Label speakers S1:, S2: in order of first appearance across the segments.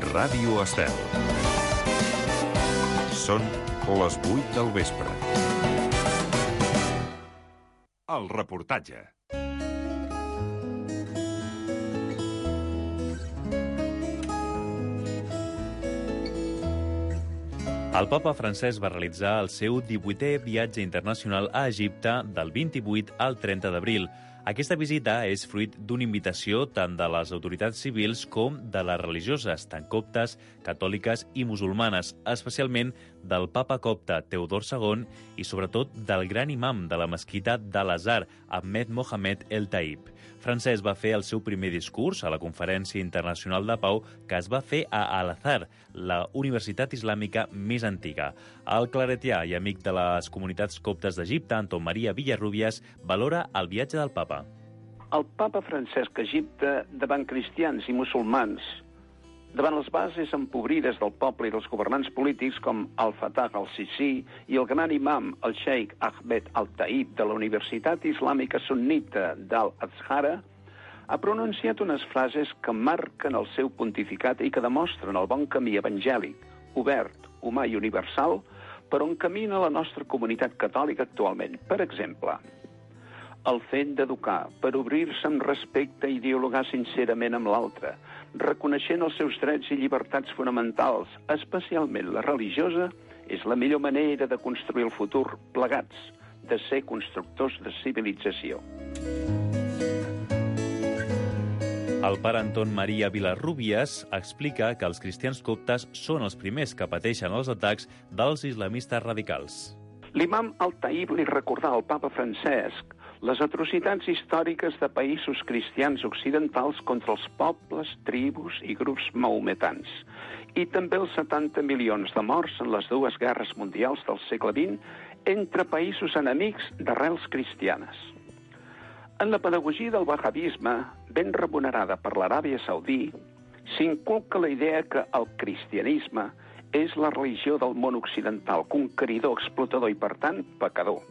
S1: Ràdio Estel. Són les 8 del vespre. El reportatge.
S2: El papa Francesc va realitzar el seu 18è viatge internacional a Egipte del 28 al 30 d'abril. Aquesta visita és fruit d'una invitació tant de les autoritats civils com de les religioses, tant coptes, catòliques i musulmanes, especialment del papa copte Teodor II i sobretot del gran imam de la mesquita d'Al-Azhar, Ahmed Mohamed El Taib. Francesc va fer el seu primer discurs a la Conferència Internacional de Pau que es va fer a Al-Azhar, la universitat islàmica més antiga. El claretià i amic de les comunitats coptes d'Egipte, Anton Maria Villarrubias, valora el viatge del papa.
S3: El papa Francesc a Egipte davant cristians i musulmans, davant les bases empobrides del poble i dels governants polítics com Al-Fatah al-Sisi i el gran imam, el xeic Ahmed al-Taib de la Universitat Islàmica Sunnita d'Al-Azhar, ha pronunciat unes frases que marquen el seu pontificat i que demostren el bon camí evangèlic, obert, humà i universal per on camina la nostra comunitat catòlica actualment. Per exemple, el fet d'educar per obrir-se amb respecte i dialogar sincerament amb l'altre, reconeixent els seus drets i llibertats fonamentals, especialment la religiosa, és la millor manera de construir el futur plegats, de ser constructors de civilització.
S2: El pare Anton Maria Villarrubias explica que els cristians coptes són els primers que pateixen els atacs dels islamistes radicals.
S3: L'imam al-Taib li recordà al papa Francesc les atrocitats històriques de països cristians occidentals contra els pobles, tribus i grups maometans, i també els 70 milions de morts en les dues guerres mundials del segle XX entre països enemics d'arrels cristianes. En la pedagogia del wahhabisme, ben remunerada per l'Aràbia Saudí, s'inculca la idea que el cristianisme és la religió del món occidental, conqueridor, explotador i, per tant, pecador.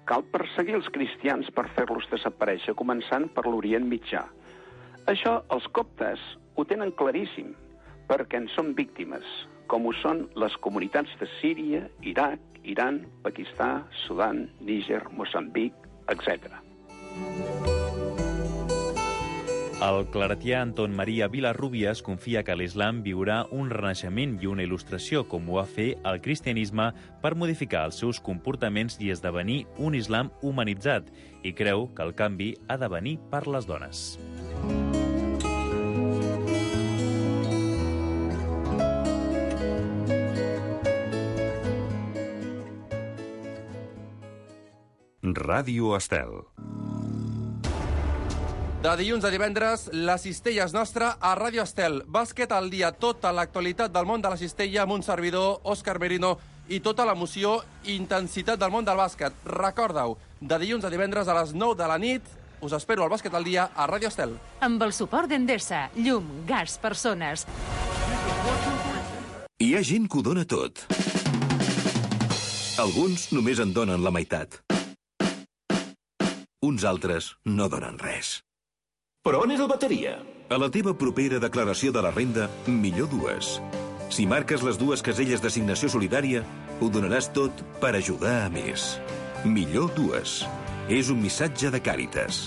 S3: Cal perseguir els cristians per fer-los desaparèixer, començant per l'Orient Mitjà. Això els coptes ho tenen claríssim, perquè en són víctimes, com ho són les comunitats de Síria, Iraq, Iran, Pakistan, Sudan, Níger, Moçambic, etc.
S2: El claretià Anton Maria Villarrubias confia que l'islam viurà un renaixement i una il·lustració, com ho va fer el cristianisme, per modificar els seus comportaments i esdevenir un islam humanitzat, i creu que el canvi ha de venir per les dones.
S1: Ràdio Estel.
S4: De dilluns a divendres, la cistella és nostra a Ràdio Estel. Bàsquet al dia, tota l'actualitat del món de la cistella amb un servidor, Òscar Merino, i tota l'emoció i intensitat del món del bàsquet. Recorda-ho, de dilluns a divendres a les 9 de la nit, us espero al Bàsquet al dia a Ràdio Estel.
S5: Amb el suport d'Endesa, llum, gas, persones.
S6: Hi ha gent que ho dona tot. Alguns només en donen la meitat. Uns altres no donen res.
S7: Però on és el bateria?
S6: A la teva propera declaració de la renda, millor dues. Si marques les dues caselles d'assignació solidària, ho donaràs tot per ajudar a més. Millor dues. És un missatge de Càritas.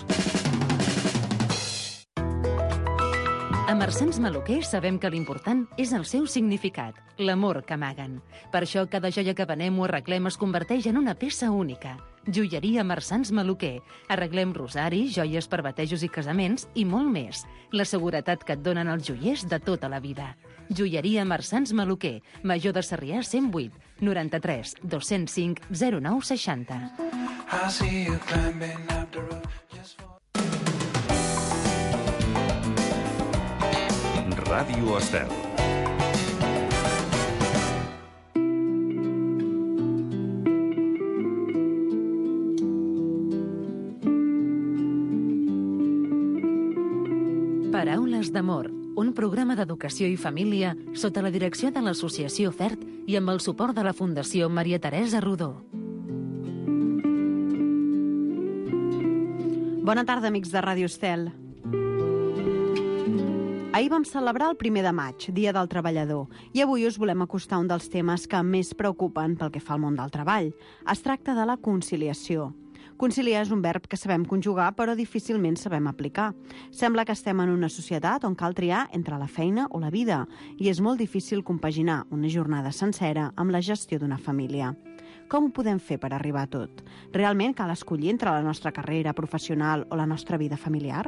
S5: A Marsans Maluquer sabem que l'important és el seu significat, l'amor que amaguen. Per això cada joia que venem o arreglem es converteix en una peça única. Joieria Marsans Maluquer. Arreglem rosaris, joies per batejos i casaments i molt més. La seguretat que et donen els joiers de tota la vida. Joieria Marsans Maluquer. Major de Sarrià 108 93 205 0960.
S1: Ràdio Estel.
S5: Paraules d'amor, un programa d'educació i família sota la direcció de l'Associació FERT i amb el suport de la Fundació Maria Teresa Rodó.
S8: Bona tarda, amics de Ràdio Estel. Ahir vam celebrar el 1 de maig, Dia del Treballador, i avui us volem acostar un dels temes que més preocupen pel que fa al món del treball. Es tracta de la conciliació. Conciliar és un verb que sabem conjugar, però difícilment sabem aplicar. Sembla que estem en una societat on cal triar entre la feina o la vida, i és molt difícil compaginar una jornada sencera amb la gestió d'una família. Com ho podem fer per arribar a tot? Realment cal escollir entre la nostra carrera professional o la nostra vida familiar?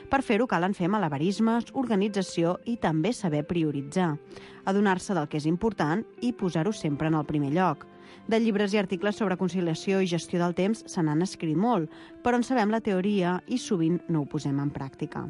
S8: Per fer-ho calen fer malabarismes, organització i també saber prioritzar. Adonar-se del que és important i posar-ho sempre en el primer lloc. De llibres i articles sobre conciliació i gestió del temps se n'han escrit molt, però en sabem la teoria i sovint no ho posem en pràctica.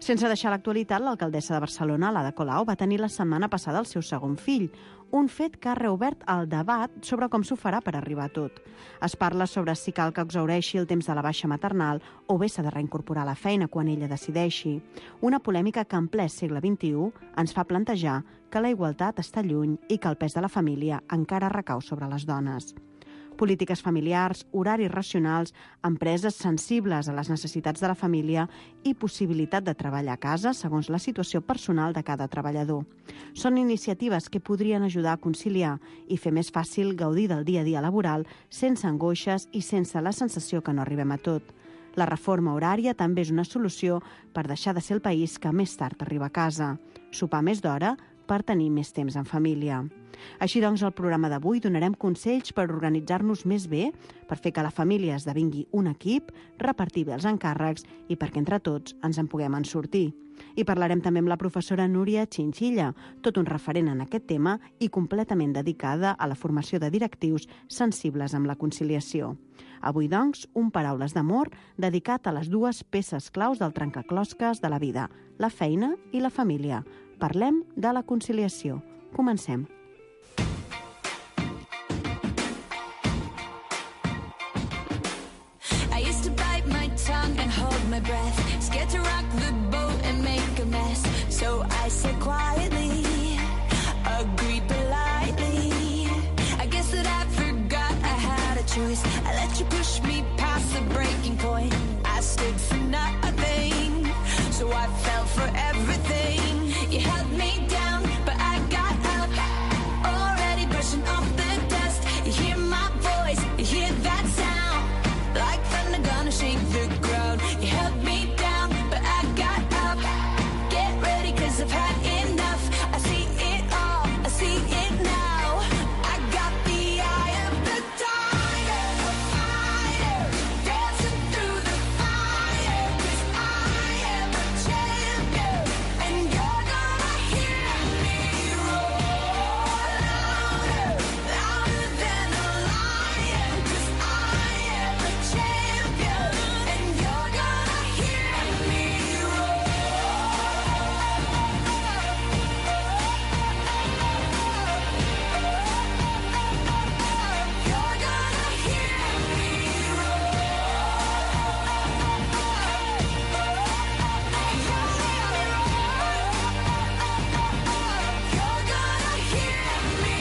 S8: Sense deixar l'actualitat, l'alcaldessa de Barcelona, l'Ada Colau, va tenir la setmana passada el seu segon fill, un fet que ha reobert el debat sobre com s'ho farà per arribar a tot. Es parla sobre si cal que exhaureixi el temps de la baixa maternal o bé s'ha de reincorporar a la feina quan ella decideixi. Una polèmica que en ple segle XXI ens fa plantejar que la igualtat està lluny i que el pes de la família encara recau sobre les dones. Polítiques familiars, horaris racionals, empreses sensibles a les necessitats de la família i possibilitat de treballar a casa segons la situació personal de cada treballador. Són iniciatives que podrien ajudar a conciliar i fer més fàcil gaudir del dia a dia laboral sense angoixes i sense la sensació que no arribem a tot. La reforma horària també és una solució per deixar de ser el país que més tard arriba a casa. Sopar més d'hora per tenir més temps en família. Així doncs, al programa d'avui donarem consells per organitzar-nos més bé, per fer que la família esdevingui un equip, repartir bé els encàrrecs i perquè entre tots ens en puguem en sortir. I parlarem també amb la professora Núria Chinchilla, tot un referent en aquest tema i completament dedicada a la formació de directius sensibles amb la conciliació. Avui, doncs, un Paraules d'amor dedicat a les dues peces claus del trencaclosques de la vida, la feina i la família. Parlem de la conciliació. Comencem.
S9: And hold my breath, scared to rock the boat and make a mess. So I said quietly, agreed politely. I guess that I forgot I had a choice. I let you push me past the breaking point. I stood for nothing, so I fell for everything. You held me down, but I got up, already brushing off the dust. You hear my voice, you hear that sound, like thunder gonna shake the ground. You held me down, but I got up. Get ready, 'cause I've had enough. I see it all, I see it now. I got the eye of the tiger, a fighter, dancing through the fire. 'Cause I am a champion, and you're gonna hear me roar louder, louder than a lion. 'Cause I am a champion, and you're gonna hear me roar. You're gonna hear me You're gonna hear me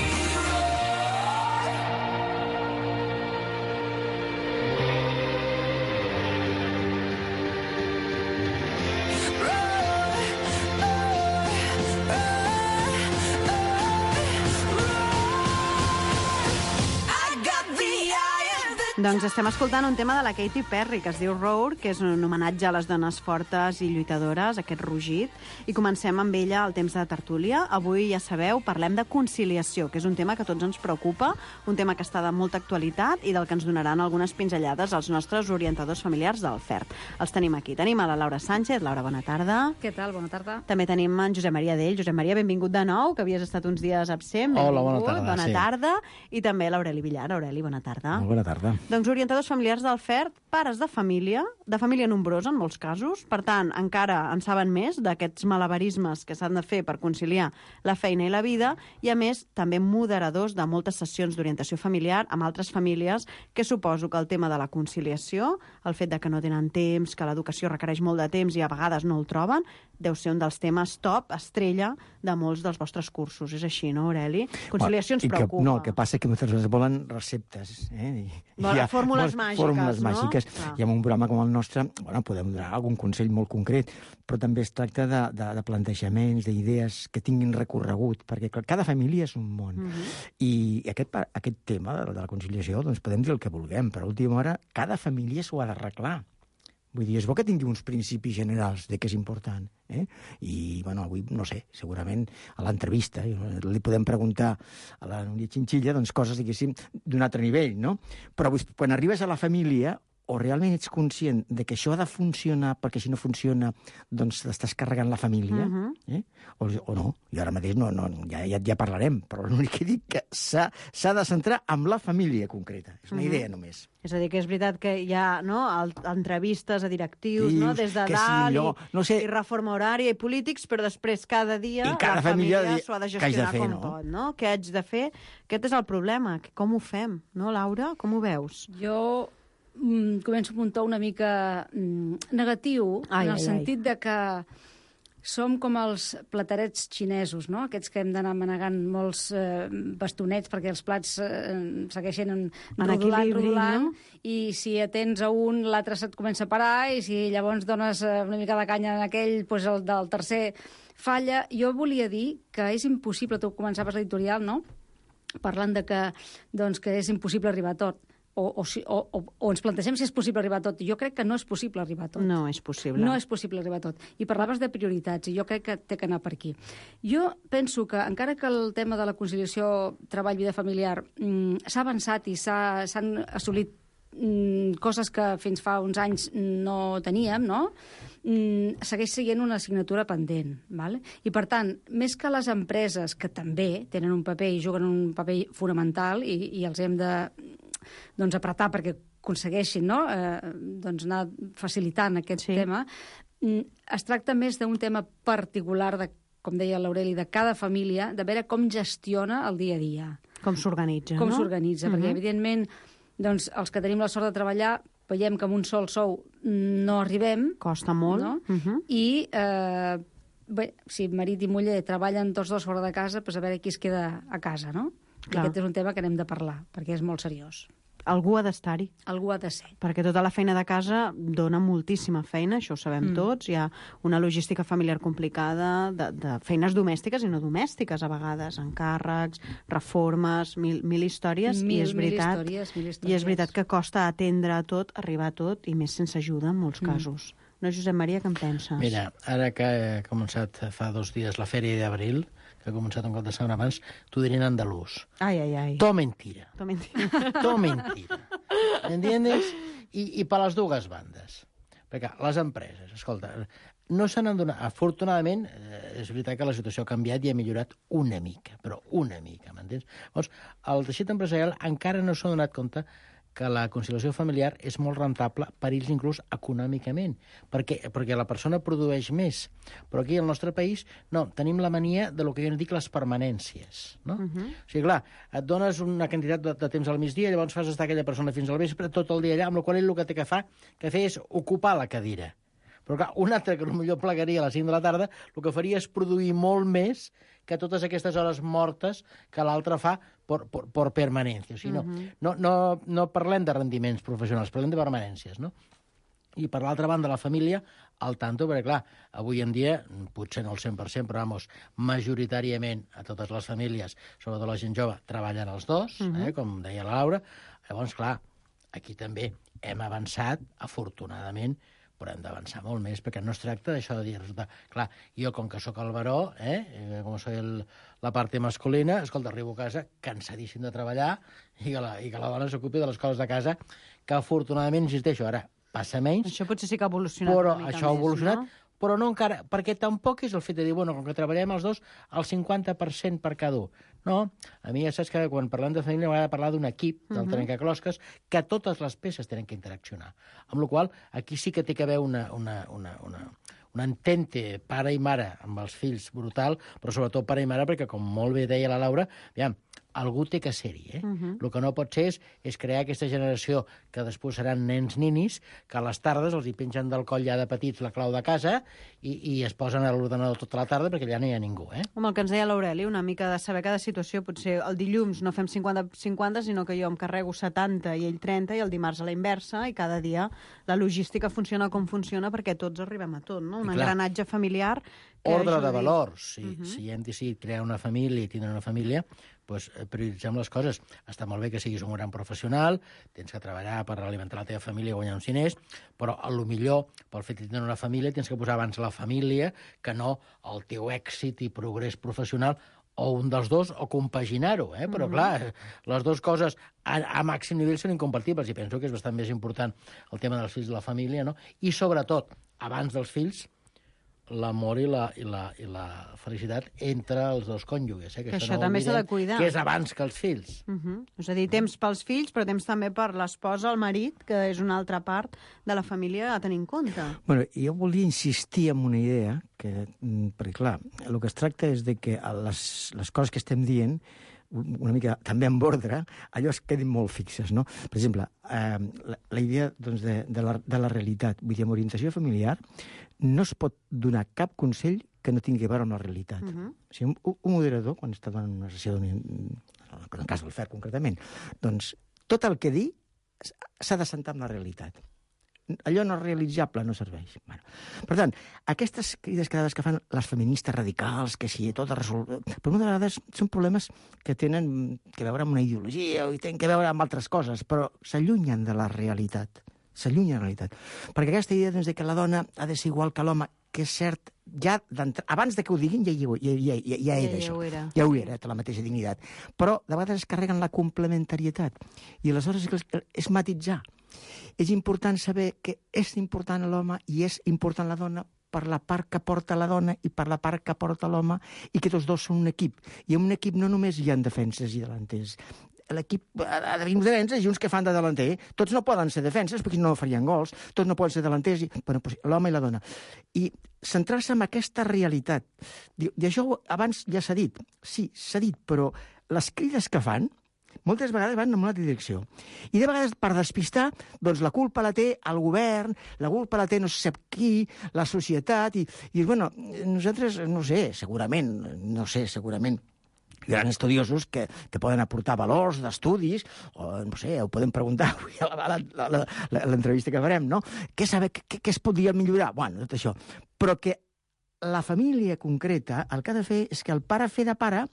S9: I got the eye of the
S8: Doncs estem escoltant un tema de la Katy Perry que es diu Roar, que és un homenatge a les dones fortes i lluitadores, aquest rugit, i comencem amb ella el temps de tertúlia. Avui, ja sabeu, parlem de conciliació, que és un tema que a tots ens preocupa, un tema que està de molta actualitat i del que ens donaran algunes pinzellades als nostres orientadors familiars del FERT. Els tenim aquí. Tenim a la Laura Sánchez. Laura, bona tarda.
S10: Què tal? Bona tarda.
S8: També tenim en Josep Maria Dell. Josep Maria, benvingut de nou, que havies estat uns dies absent.
S11: Hola, bona
S8: Benvingut.
S11: tarda,
S8: Bona
S11: sí.
S8: tarda. I també l'Aureli Villar. Aureli, bona tarda.
S11: Molt bona tarda.
S8: Doncs orientadors familiars del FERT, pares de família nombrosa en molts casos, per tant, encara en saben més d'aquests malabarismes que s'han de fer per conciliar la feina i la vida, i a més, també moderadors de moltes sessions d'orientació familiar amb altres famílies, que suposo que el tema de la conciliació, el fet de que no tenen temps, que l'educació requereix molt de temps i a vegades no el troben, deu ser un dels temes top, estrella, de molts dels vostres cursos. És així, no, Aureli? Conciliació ens preocupa.
S11: No, el que passa és que moltes vegades volen receptes, i
S8: Volen fórmules màgiques,
S10: fórmules
S8: no?
S10: màgiques. I en un programa com el nostre, podem donar algun consell molt concret, però també es tracta de plantejaments, d'idees que tinguin recorregut, perquè cada família és un món. I aquest tema de la conciliació, doncs podem dir el que vulguem, però a última hora cada família s'ho ha d'arreglar. Vull dir, és bo que tingui uns principis generals de què és important. I, avui, no sé, segurament a l'entrevista li podem preguntar a la Núria Chinchilla coses, diguéssim, d'un altre nivell, no? Però quan arribes a la família, o realment ets conscient de que això ha de funcionar, perquè si no funciona, doncs t'estàs carregant la família, o no. I ara mateix ja parlarem, però l'únic que dic que s'ha de centrar en la família concreta. És una idea només.
S8: És a dir, que és veritat que hi ha entrevistes a directius, des de dalt, i reforma horària i polítics, però després cada dia la família s'ho ha de gestionar com pot, no? Què haig de fer? Aquest és el problema. Com ho fem, no, Laura? Com ho veus?
S11: Jo començo a muntar una mica negatiu, en el sentit de que som com els platerets xinesos, no? Aquests que hem d'anar manegant molts bastonets perquè els plats segueixen rodolant, i si atens a un, l'altre se't comença a parar, i si llavors dones una mica de canya en aquell, doncs el del tercer falla. Jo volia dir que és impossible, tu començaves l'editorial, no?, parlant de que és impossible arribar a tot. O ens plantegem si és possible arribar a tot. Jo crec que no és possible arribar a tot.
S8: No és possible.
S11: No és possible arribar a tot. I parlaves de prioritats, i jo crec que té que anar per aquí. Jo penso que, encara que el tema de la conciliació treball-vida familiar s'ha avançat i s'han assolit coses que fins fa uns anys no teníem, no?, segueix sent una assignatura pendent. Vale? I, per tant, més que les empreses, que també tenen un paper i juguen un paper fonamental, i els hem de apretar perquè aconsegueixin anar facilitant aquest tema, es tracta més d'un tema particular, com deia l'Aureli, de cada família, de veure com gestiona el dia a dia.
S8: Com s'organitza,
S11: Com s'organitza, perquè, evidentment, els que tenim la sort de treballar veiem que amb un sol sou no arribem.
S8: Costa molt.
S11: No? I, si marit i muller treballen tots dos fora de casa, doncs a veure qui es queda a casa, no? Aquest és un tema que n'hem de parlar, perquè és molt seriós.
S8: Algú ha d'estar-hi.
S11: Algú ha de ser.
S8: Perquè tota la feina de casa dona moltíssima feina, això ho sabem tots. Hi ha una logística familiar complicada, de feines domèstiques i no domèstiques, a vegades, encàrrecs, reformes, mil històries. I és veritat que costa atendre tot, arribar a tot, i més sense ajuda en molts casos. No, Josep Maria, què en penses?
S12: Mira, ara que ha començat fa 2 dies la Fèria d'Abril, que ha començat un cop de setmana abans, t'ho diré en andalús.
S8: Ay.
S12: Todo mentira. Todo mentira. ¿Entiendes? I per les dues bandes. Perquè les empreses, escolta, no se n'han donat... Afortunadament, és veritat que la situació ha canviat i ha millorat una mica, però una mica, m'entens? Llavors, el teixit empresarial encara no s'ha donat compte que la conciliació familiar és molt rentable per ells inclús econòmicament, perquè la persona produeix més. Però aquí al nostre país, no, tenim la mania de lo que jo en dic les permanències, no? O sigui, clar, et dones una quantitat de temps al migdia, llavors fas estar aquella persona fins al vespre, tot el dia allà, amb la qual ell el que té que fer és ocupar la cadira. Però clar, un altre que potser plegaria a les 5 de la tarda, el que faria és produir molt més que totes aquestes hores mortes que l'altre fa per permanència. O sigui, no parlem de rendiments professionals, parlem de permanències, no? I per l'altra banda, la família, al tanto, perquè clar, avui en dia, potser no el 100%, però majoritàriament a totes les famílies, sobretot la gent jove, treballen els dos, com deia la Laura. Llavors, clar, aquí també hem avançat, afortunadament, però hem d'avançar molt més, perquè no es tracta d'això de dir, clar, jo com que sóc el baró, com soy la part masculina, escolta, arribo a casa cansadíssim de treballar i que la dona s'ocupi de les coses de casa, que afortunadament, insisteixo, ara passa menys.
S8: Això potser sí que ha evolucionat una mica més,
S12: això ha evolucionat, no? Però no encara, perquè tampoc és el fet de dir, bueno, com que treballem els dos, el 50% per cada un. No, a mi ja saps que quan parlem de família m'agrada parlar d'un equip, del trencaclosques, que totes les peces tenen que interaccionar. Amb la qual cosa, aquí sí que té que haver una entente pare i mare amb els fills brutal, però sobretot pare i mare, perquè, com molt bé deia la Laura, aviam, algú té que ser-hi. El que no pot ser és crear aquesta generació que després seran nens-ninis, que a les tardes els hi pengen del coll ja de petits la clau de casa i es posen a l'ordenador tota la tarda perquè allà no hi ha ningú.
S8: Home, el que ens deia l'Aureli, una mica de saber cada situació. Potser el dilluns no fem 50-50, sinó que jo em carrego 70 i ell 30, i el dimarts a la inversa, i cada dia la logística funciona com funciona perquè tots arribem a tot, no? Un engranatge familiar que
S12: ordre
S8: ajudi.
S12: de valors. Si hem decidit crear una família i tindre una família, doncs prioritzem les coses. Està molt bé que siguis un gran professional, tens que treballar per alimentar la teva família i guanyar uns diners, però a lo millor, pel fet de tenir una família, tens que posar abans la família que no el teu èxit i progrés professional, o un dels dos, o compaginar-ho. Però, clar, les dues coses a màxim nivell són incompatibles, i penso que és bastant més important el tema dels fills i la família, no? I, sobretot, abans dels fills, l'amor i la felicitat entre els dos cònjuges.
S8: Que això també s'ha de cuidar.
S12: Que és abans que els fills.
S8: És a dir, temps pels fills, però temps també per l'esposa, el marit, que és una altra part de la família a tenir en compte.
S10: Bueno, jo volia insistir en una idea, perquè, clar, el que es tracta és de que les coses que estem dient, una mica també en ordre, allò es quedin molt fixes, no? Per exemple, la idea doncs, de la realitat, vull dir, amb orientació familiar, no es pot donar cap consell que no tingui a veure amb la realitat. O sigui, un moderador, quan està donant una sessió en el cas del FER, concretament, doncs tot el que dir s'ha de sentar amb la realitat. Allò no realitzable no serveix. Bueno, per tant, aquestes crides que fan les feministes radicals, que si tot es resol... Però moltes vegades són problemes que tenen que veure amb una ideologia i tenen que veure amb altres coses, però s'allunyen de la realitat. S'allunyen de la realitat. Perquè aquesta idea doncs, de que la dona ha de ser igual que l'home, que és cert, ja abans de que ho diguin ja era això. Ja ho era, té la mateixa dignitat. Però de vegades es carreguen la complementarietat. I aleshores és matitzar. És important saber que és important l'home i és important la dona per la part que porta la dona i per la part que porta l'home, i que tots dos són un equip. I en un equip no només hi ha defenses i delanters. L'equip ha d'haver uns defenses i uns que fan de delanter. Tots no poden ser defenses perquè no farien gols, tots no poden ser delanters, bueno, doncs, l'home i la dona. I centrar-se en aquesta realitat. I això abans ja s'ha dit. Sí, s'ha dit, però les crides que fan moltes vegades van en una altra direcció. I de vegades, per despistar, doncs la culpa la té el govern, la culpa la té no sé qui, la societat, i bueno, nosaltres, no sé, segurament, grans estudiosos que poden aportar valors d'estudis, o no sé, ho podem preguntar avui a l'entrevista que farem, no? Què es podria millorar? Bueno, tot això. Però que la família concreta el que ha de fer és que el pare fer de pare,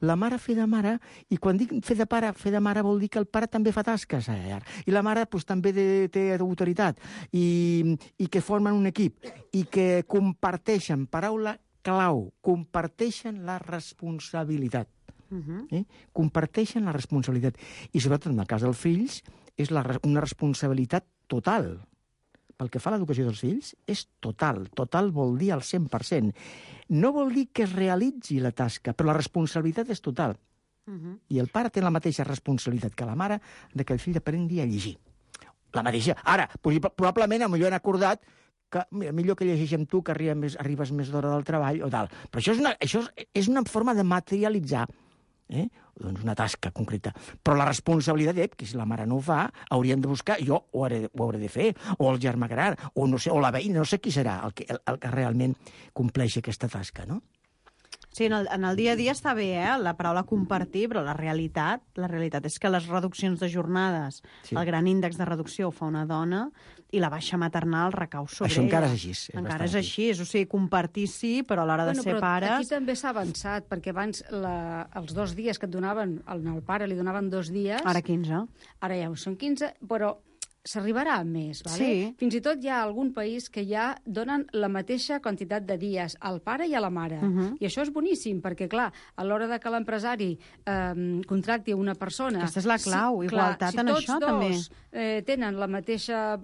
S10: la mare fer de mare, i quan dic fer de pare, fer de mare vol dir que el pare també fa tasques a llar, i la mare doncs, també té autoritat, i que formen un equip, i que comparteixen, paraula clau, comparteixen la responsabilitat. Comparteixen la responsabilitat. I sobretot en el cas dels fills és una responsabilitat total. Pel que fa a l'educació dels fills, és total. Total vol dir al 100%. No vol dir que es realitzi la tasca, però la responsabilitat és total. I el pare té la mateixa responsabilitat que la mare de que el fill aprengui a llegir. La mateixa. Ara, probablement, potser han acordat que millor que llegeix amb tu, que arribes més d'hora del treball o tal. Però això és una forma de materialitzar doncs una tasca concreta. Però la responsabilitat, que si la mare no ho fa, hauríem de buscar, jo ho hauré de fer, o el germà gran, o no sé, o la veïna, no sé qui serà el que realment compleixi aquesta tasca, no?
S8: Sí, en el dia a dia està bé, la paraula compartir, però la realitat és que les reduccions de jornades, el gran índex de reducció ho fa una dona i la baixa maternal recau sobre
S10: això
S8: ella.
S10: Encara és així.
S8: Encara és així, o sigui, compartir sí, però a l'hora de ser pares...
S11: Aquí també s'ha avançat, perquè abans els 2 dies que et donaven, al pare li donaven 2 dies...
S8: Ara 15.
S11: Ara ja són 15, però s'arribarà a més, ¿vale?
S8: Sí.
S11: Fins i tot hi ha algun país que ja donen la mateixa quantitat de dies al pare i a la mare. I això és boníssim, perquè, clar, a l'hora de que l'empresari contracti una persona...
S8: Aquesta és la clau, igualtat en això, també.
S11: Si tots dos tenen la mateixa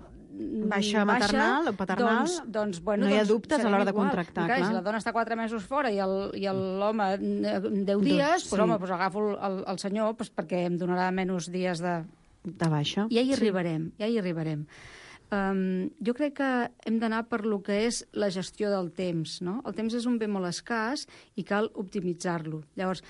S8: baixa maternal o paternal,
S11: doncs, bueno,
S8: no hi ha dubtes a l'hora de contractar.
S11: Clar. Si la dona està 4 mesos fora i l'home 10 dies, doncs, home, agafo el senyor perquè em donarà menys dies de
S8: baixa.
S11: Ja hi arribarem, ja hi arribarem. Jo crec que hem d'anar per lo que és la gestió del temps, no? El temps és un bé molt escàs i cal optimitzar-lo. Llavors,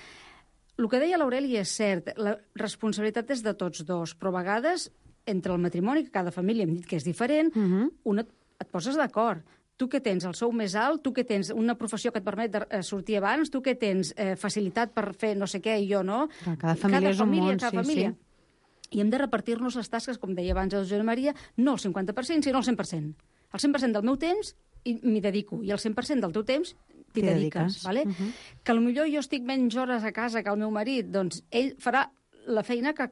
S11: el que deia l'Aureli és cert, la responsabilitat és de tots dos, però a vegades, entre el matrimoni, que cada família hem dit que és diferent, et poses d'acord. Tu que tens el sou més alt, tu que tens una professió que et permet sortir abans, tu que tens facilitat per fer no sé què i jo no.
S8: Cada família és un món, sí.
S11: I hem de repartir-nos les tasques, com deia abans el Josep Maria, no el 50%, sinó el 100%. El 100% del meu temps m'hi dedico, i el 100% del teu temps t'hi dediques. Vale? Que potser jo estic menys hores a casa que el meu marit, doncs ell farà la feina que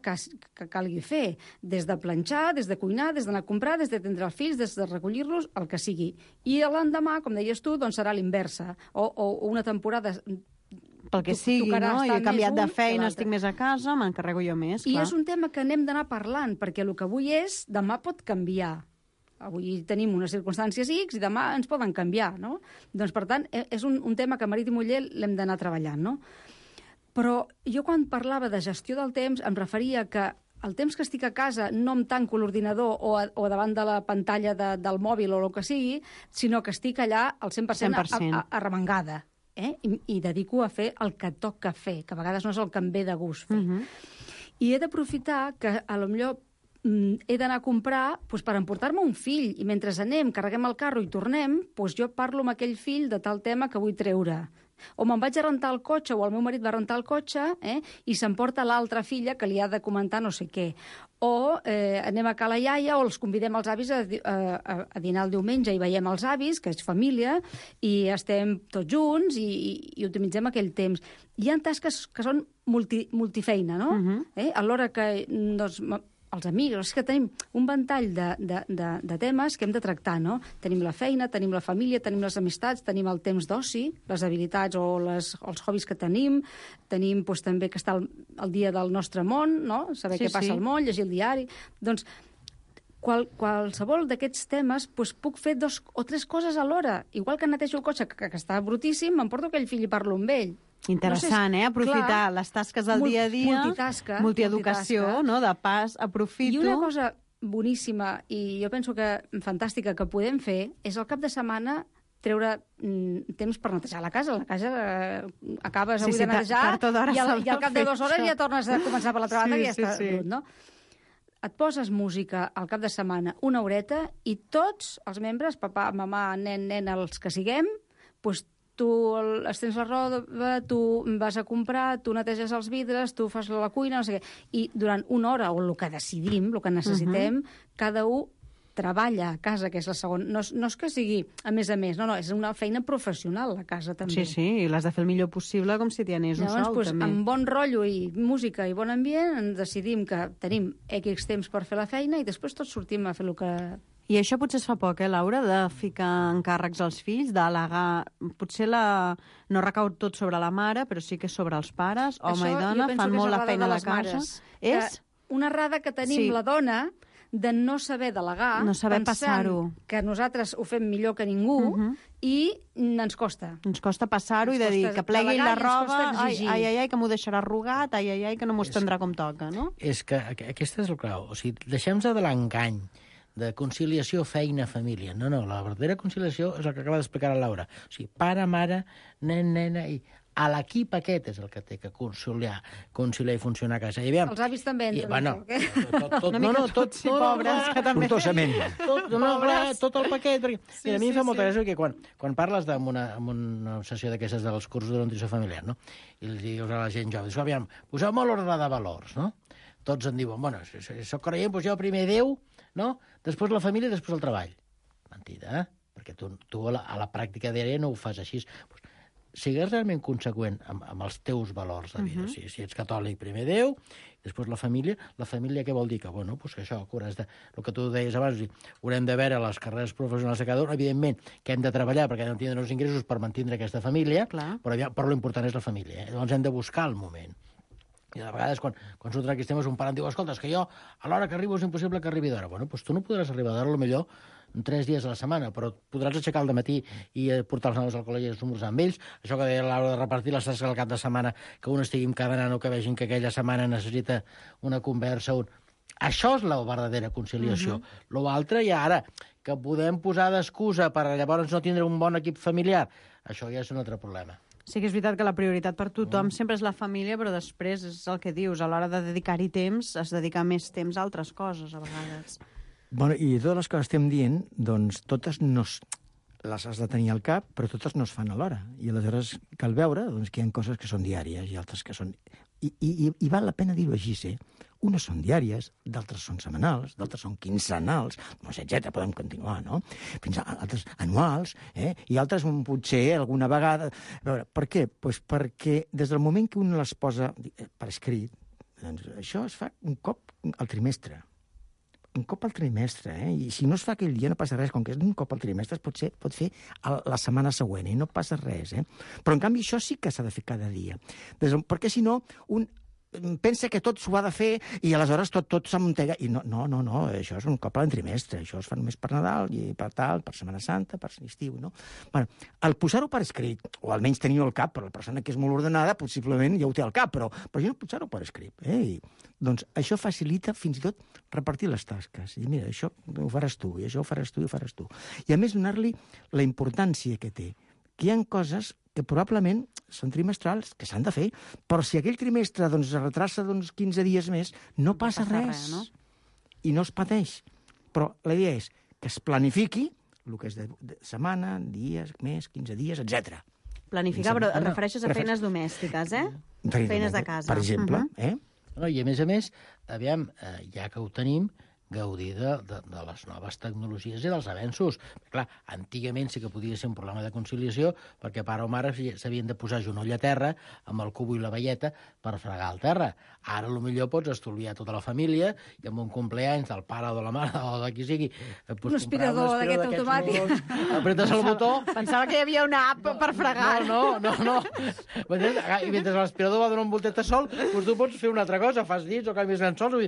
S11: calgui fer, des de planxar, des de cuinar, des d'anar a comprar, des d'atendre els fills, des de recollir-los, el que sigui. I l'endemà, com deies tu, doncs serà l'inversa. O una temporada...
S8: Pel que sigui, no? Jo he canviat de feina, estic més a casa, m'encarrego jo més, clar.
S11: I és un tema que anem d'anar parlant, perquè el que avui és, demà pot canviar. Avui tenim unes circumstàncies X i demà ens poden canviar, no? Doncs, per tant, és un tema que marit i muller l'hem d'anar treballant, no? Però jo quan parlava de gestió del temps em referia que el temps que estic a casa no em tanco l'ordinador o davant de la pantalla del mòbil o el que sigui, sinó que estic allà al 100%. Arremangada. I dedico a fer el que toca fer, que a vegades no és el que em ve de gust fer. I he d'aprofitar que potser he d'anar a comprar per emportar-me un fill, i mentre anem, carreguem el carro i tornem, jo parlo amb aquell fill de tal tema que vull treure. O me'n vaig a rentar el cotxe, o el meu marit va rentar el cotxe, i s'emporta l'altra filla que li ha de comentar no sé què. O anem a Cala Iaia, o els convidem els avis a dinar el diumenge i veiem els avis, que és família, i estem tots junts i utilitzem aquell temps. Hi ha tasques que són multifeina, no? A l'hora que els amics, és que tenim un ventall de temes que hem de tractar, no? Tenim la feina, tenim la família, tenim les amistats, tenim el temps d'oci, les habilitats o els hobbies que tenim també que està el dia del nostre món, no? Saber què passa al món, llegir el diari. Doncs qualsevol d'aquests temes puc fer 2 o 3 coses alhora. Igual que netejo el cotxe, que està brutíssim, m'emporto aquell fill i parlo amb ell.
S8: Interessant, aprofitar les tasques del dia a dia, multieducació, no? De pas, aprofito...
S11: I una cosa boníssima, i jo penso que fantàstica que podem fer, és el cap de setmana treure temps per netejar la casa. La casa acabes avui de netejar i al cap de 2 hores ja tornes a començar per l'altra banda i ja està brut, no? Et poses música al cap de setmana, una horeta, i tots els membres, papà, mamà, nen, nena, els que siguem, doncs tu estens la roba, tu vas a comprar, tu neteges els vidres, tu fas la cuina, no sé què. I durant una hora, o el que decidim, el que necessitem, cada un treballa a casa, que és la segona. No és que sigui a més, no, és una feina professional, la casa, també.
S8: Sí, i l'has de fer el millor possible com si t'hi anés un sol, també.
S11: Amb bon rotllo i música i bon ambient, ens decidim que tenim X temps per fer la feina i després tots sortim a fer el que...
S8: I això potser es fa poc, Laura, de ficar encàrrecs als fills, d'al·legar... Potser no recau tot sobre la mare, però sí que sobre els pares, home i dona, fan molt la feina a la casa.
S11: És una errada que tenim la dona de no saber delegar,
S8: no saber passar-ho,
S11: que nosaltres ho fem millor que ningú, i ens costa.
S8: Ens costa passar-ho i de dir que plegui la roba, ai, que m'ho deixarà arrugat, ai, que no m'ho estendrà com toca, no?
S12: És que aquesta és el clau. O sigui, deixem-nos de l'engany de conciliació feina-família. No, la verdadera conciliació és el que acaba d'explicar la Laura. O sigui, pare, mare, nen, nena, i a l'equip aquest és el que té que conciliar i funcionar a casa.
S11: Els avis també entren.
S8: Tots, pobres, que també.
S12: Tot el paquet. Mira, a mi em fa molta gràcia que quan parles amb una sessió d'aquestes dels cursos de nutrició familiar, no? I els dius a la gent jove, aviam, poseu-me l'ordre de valors, no? Tots en diuen, bueno, si sóc creient, poseu primer Déu, no? Després la família i després el treball. Mentida, perquè tu a la pràctica diària no ho fas així. Sigues realment conseqüent amb els teus valors de vida. Si ets catòlic, primer Déu, després la família què vol dir? Que, bueno, que això, el que tu deies abans, haurem de veure les carreres professionals de cada un, evidentment que hem de treballar perquè hem de tindre els ingressos per mantindre aquesta família, però l'important és la família. Llavors hem de buscar el moment. I de vegades, quan surten aquests temes, un pare em diu, escolta, és que jo, a l'hora que arribo és impossible que arribi d'hora. Bueno, doncs tu no podràs arribar d'hora, potser 3 dies a la setmana, però podràs aixecar al dematí i portar els nanos al col·legi i esmorzar amb ells. Això que deia l'hora de repartir les tasques al cap de setmana, que un estigui amb cada nano, que vegin que aquella setmana necessita una conversa. Això és la verdadera conciliació. L'altre, i ara, que podem posar d'excusa per llavors no tindre un bon equip familiar, això ja és un altre problema.
S8: Sí que és veritat que la prioritat per tothom sempre és la família, però després és el que dius, a l'hora de dedicar-hi temps, es dedica més temps a altres coses, a vegades.
S10: Bueno, i totes les que estem dient, doncs totes no les has de tenir al cap, però totes no es fan alhora. I aleshores cal veure doncs, que hi ha coses que són diàries i altres que són... I val la pena dir-ho així, Unes són diàries, d'altres són setmanals, d'altres són quinzenals, etc. Podem continuar, no? Fins a altres anuals, i altres potser alguna vegada... A veure, per què? Pues perquè des del moment que un les posa per escrit, doncs això es fa un cop al trimestre. Un cop al trimestre, I si no es fa aquell dia no passa res, com que és un cop al trimestre es pot fer la setmana següent, i no passa res, Però en canvi això sí que s'ha de fer cada dia. Perquè si no, un pensa que tot s'ho ha de fer i aleshores tot s'amuntega. I no, això és un cop al trimestre, això es fa només per Nadal i per tal, per Setmana Santa, per estiu, no? Bueno, al posar-ho per escrit, o almenys tenir-ho al cap, però la persona que és molt ordenada possiblement ja ho té al cap, però jo no posar-ho per escrit, Doncs això facilita fins i tot repartir les tasques. I mira, això ho faràs tu, i això ho faràs tu, i ho faràs tu. I a més donar-li la importància que té. Que hi ha coses que probablement són trimestrals, que s'han de fer, però si aquell trimestre es retrasa 15 dies més, no passa res, no? I no es pateix. Però la idea és que es planifiqui el que és de setmana, dies, mes, 15 dies, etc.
S8: Planificar, però et refereixes a feines domèstiques, Feines de casa.
S10: Per exemple,
S12: No, I a més, aviam, ja que ho tenim, gaudir de les noves tecnologies i dels avenços. Clar, antigament sí que podia ser un problema de conciliació perquè pare o mare s'havien de posar genoll a terra amb el cubo i la velleta per fregar el terra. Ara potser pots estolviar tota la família i amb un compleanys del pare o de la mare o de qui sigui...
S11: Un aspirador d'aquest automàtic.
S12: Apretes el botó...
S8: Pensava que hi havia una app per fregar.
S12: No. I mentre l'aspirador va donar un voltet sol, doncs tu pots fer una altra cosa, fas dits o canvies llençols...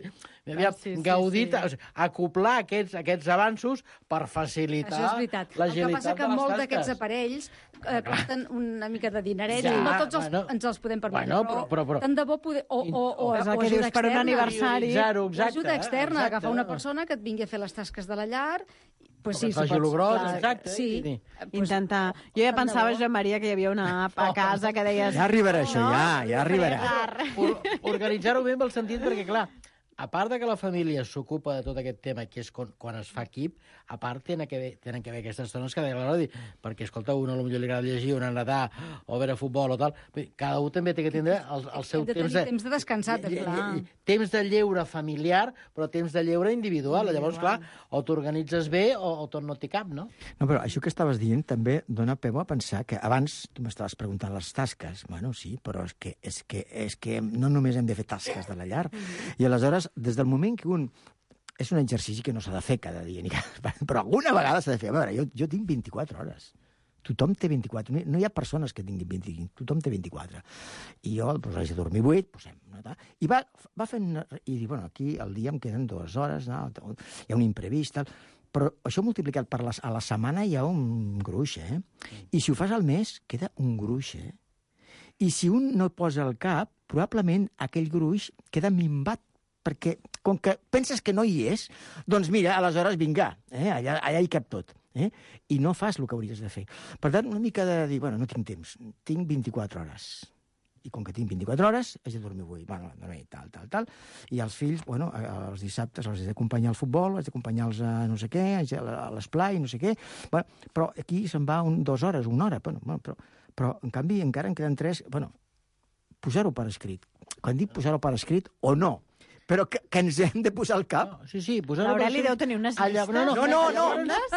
S12: Gaudir... acoplar aquests avanços per facilitar l'agilitat de les tasques.
S11: El que passa que molts d'aquests aparells costen una mica de dineret i no tots ens els podem permetre.
S12: Però
S11: tant de bo poder... O
S8: ajuda externa. Per un aniversari.
S11: Ajuda externa, agafar una persona que et vingui a fer les tasques de la llar...
S12: Pues sí, faci el gros, exacte.
S11: Sí.
S8: Intentar... Jo ja pensava, Joan Maria, que hi havia una app a casa que deies...
S10: Ja arribarà això, ja arribarà.
S12: Organitzar-ho bé en el sentit perquè, clar, a part de que la família s'ocupa de tot aquest tema, que és quan es fa equip, a part tenen que haver aquestes dones que deia l'hora de dir, perquè, escolta, un potser li agrada llegir, un nedar, o veure futbol o tal, cada un també té que tindre el seu temps
S11: de descansar, clar.
S12: Temps de lleure familiar, però temps de lleure individual. Llavors, clar, o t'organitzes bé o tot no té cap, no?
S10: No, però això que estaves dient també dona peu a pensar que abans tu m'estaves preguntant les tasques. Bueno, sí, però és que no només hem de fer tasques de la llar. I aleshores, des del moment que un... És un exercici que no s'ha de fer cada dia, però alguna vegada s'ha de fer. A veure, jo tinc 24 hores. Tothom té 24. No hi ha persones que tinguin 25. Tothom té 24. I jo haig de dormir 8, posem. I va fent... I dic, bueno, aquí al dia em queden 2 hores, hi ha un imprevist, tal. Però això multiplicat a la setmana hi ha un gruix, I si ho fas al mes, queda un gruix, I si un no posa el cap, probablement aquell gruix queda minvat, perquè com que penses que no hi és, doncs mira, aleshores vinga, allà hi cap tot. I no fas el que hauries de fer. Per tant, una mica de dir, bueno, no tinc temps, tinc 24 hores. I com que tinc 24 hores, haig de dormir 8. Bueno, tal. I els fills, bueno, els dissabtes els he d'acompanyar al futbol, haig d'acompanyar-los a no sé què, a l'esplai, no sé què. Bueno, però aquí se'n va 2 hores, 1 hora. Bueno, però en canvi encara en queden 3. Bueno, posar-ho per escrit. Quan dic posar-ho per escrit o no, però que ens hem de posar al cap.
S12: Sí, posar-ho...
S8: L'Aureli deu tenir unes llistes.
S10: No.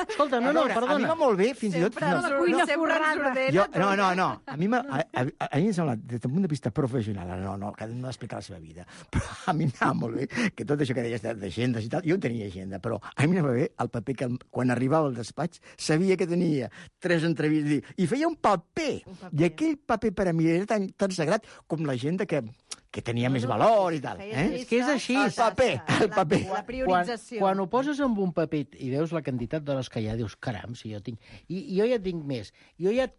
S12: Escolta, perdona.
S10: A mi va molt bé, fins i tot...
S8: La cuina forrada.
S10: No. A mi em sembla, des del punt de vista professional, no, cada un ha d'explicar la seva vida, però a mi m'anava molt bé que tot això que deies d'agendes i tal, jo tenia agenda, però a mi m'anava bé el paper que quan arribava al despatx sabia que tenia 3 entrevistes i feia un paper. I aquell paper per a mi era tan sagrat com l'agenda que que tenia més valor i tal. És que és així. El paper.
S8: La priorització.
S12: Quan ho poses en un paper i veus la quantitat d'hores que hi ha, dius, caram, si jo tinc... I jo ja tinc més. Jo ja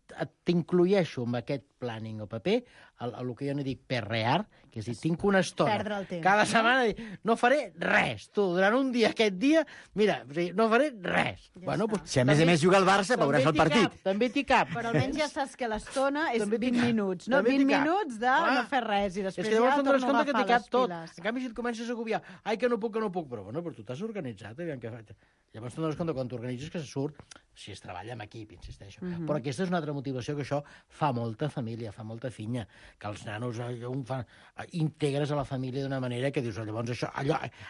S12: t'inclueixo amb aquest planning o paper, el que jo ne dic perrear, que és dir, tinc una estona.
S8: Perdre el temps.
S12: Cada setmana no faré res. Tu, durant un dia, aquest dia, mira, no faré res.
S8: Ja
S12: Pues,
S10: si a més juga el Barça, veuràs el partit.
S12: També t'hi cap.
S8: Però almenys ja saps que l'estona és 20 minuts, no?
S12: També
S8: 20
S12: t'hi cap.
S8: minuts de no fer res i després
S12: És que llavors
S8: ja
S12: te'n dones
S8: torno a
S12: compte que
S8: agafar
S12: t'hi cap
S8: les
S12: tot.
S8: piles.
S12: En canvi, si et comences a agobiar, ai, que no puc, però bueno, tu t'has organitzat, aviam què faig. Llavors te'n dones compte quan t'organitzes que se surt, si es treballa en equip, insisteixo. Però aquesta és una altra motivació, que això fa molta família, fa molta finya, que els nanos integres a la família d'una manera que dius, llavors això,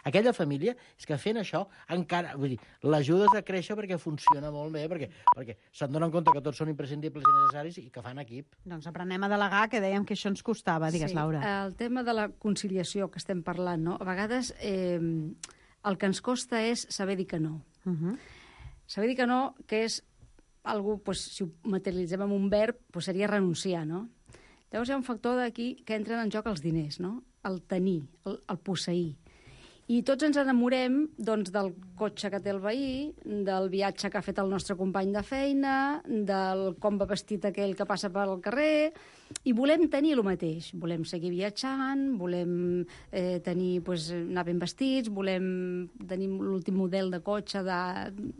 S12: aquella família, és que fent això encara, vull dir, l'ajudes a créixer perquè funciona molt bé, perquè se'n donen compte que tots són imprescindibles i necessaris i que fan equip.
S8: Doncs aprenem a delegar, que dèiem que això ens costava. Digues, Laura.
S11: El tema de la conciliació que estem parlant, no? A vegades el que ens costa és saber dir que no. Saber dir que no, que és algú, pues, si ho materialitzem en un verb, pues seria renunciar, no? Llavors hi ha un factor d'aquí que entren en joc els diners, no? El tenir, el posseir. I tots ens enamorem, doncs, del cotxe que té el veí, del viatge que ha fet el nostre company de feina, del com va vestit aquell que passa pel carrer, i volem tenir el mateix. Volem seguir viatjant, volem tenir, pues, anar ben vestits, volem tenir l'últim model de cotxe, de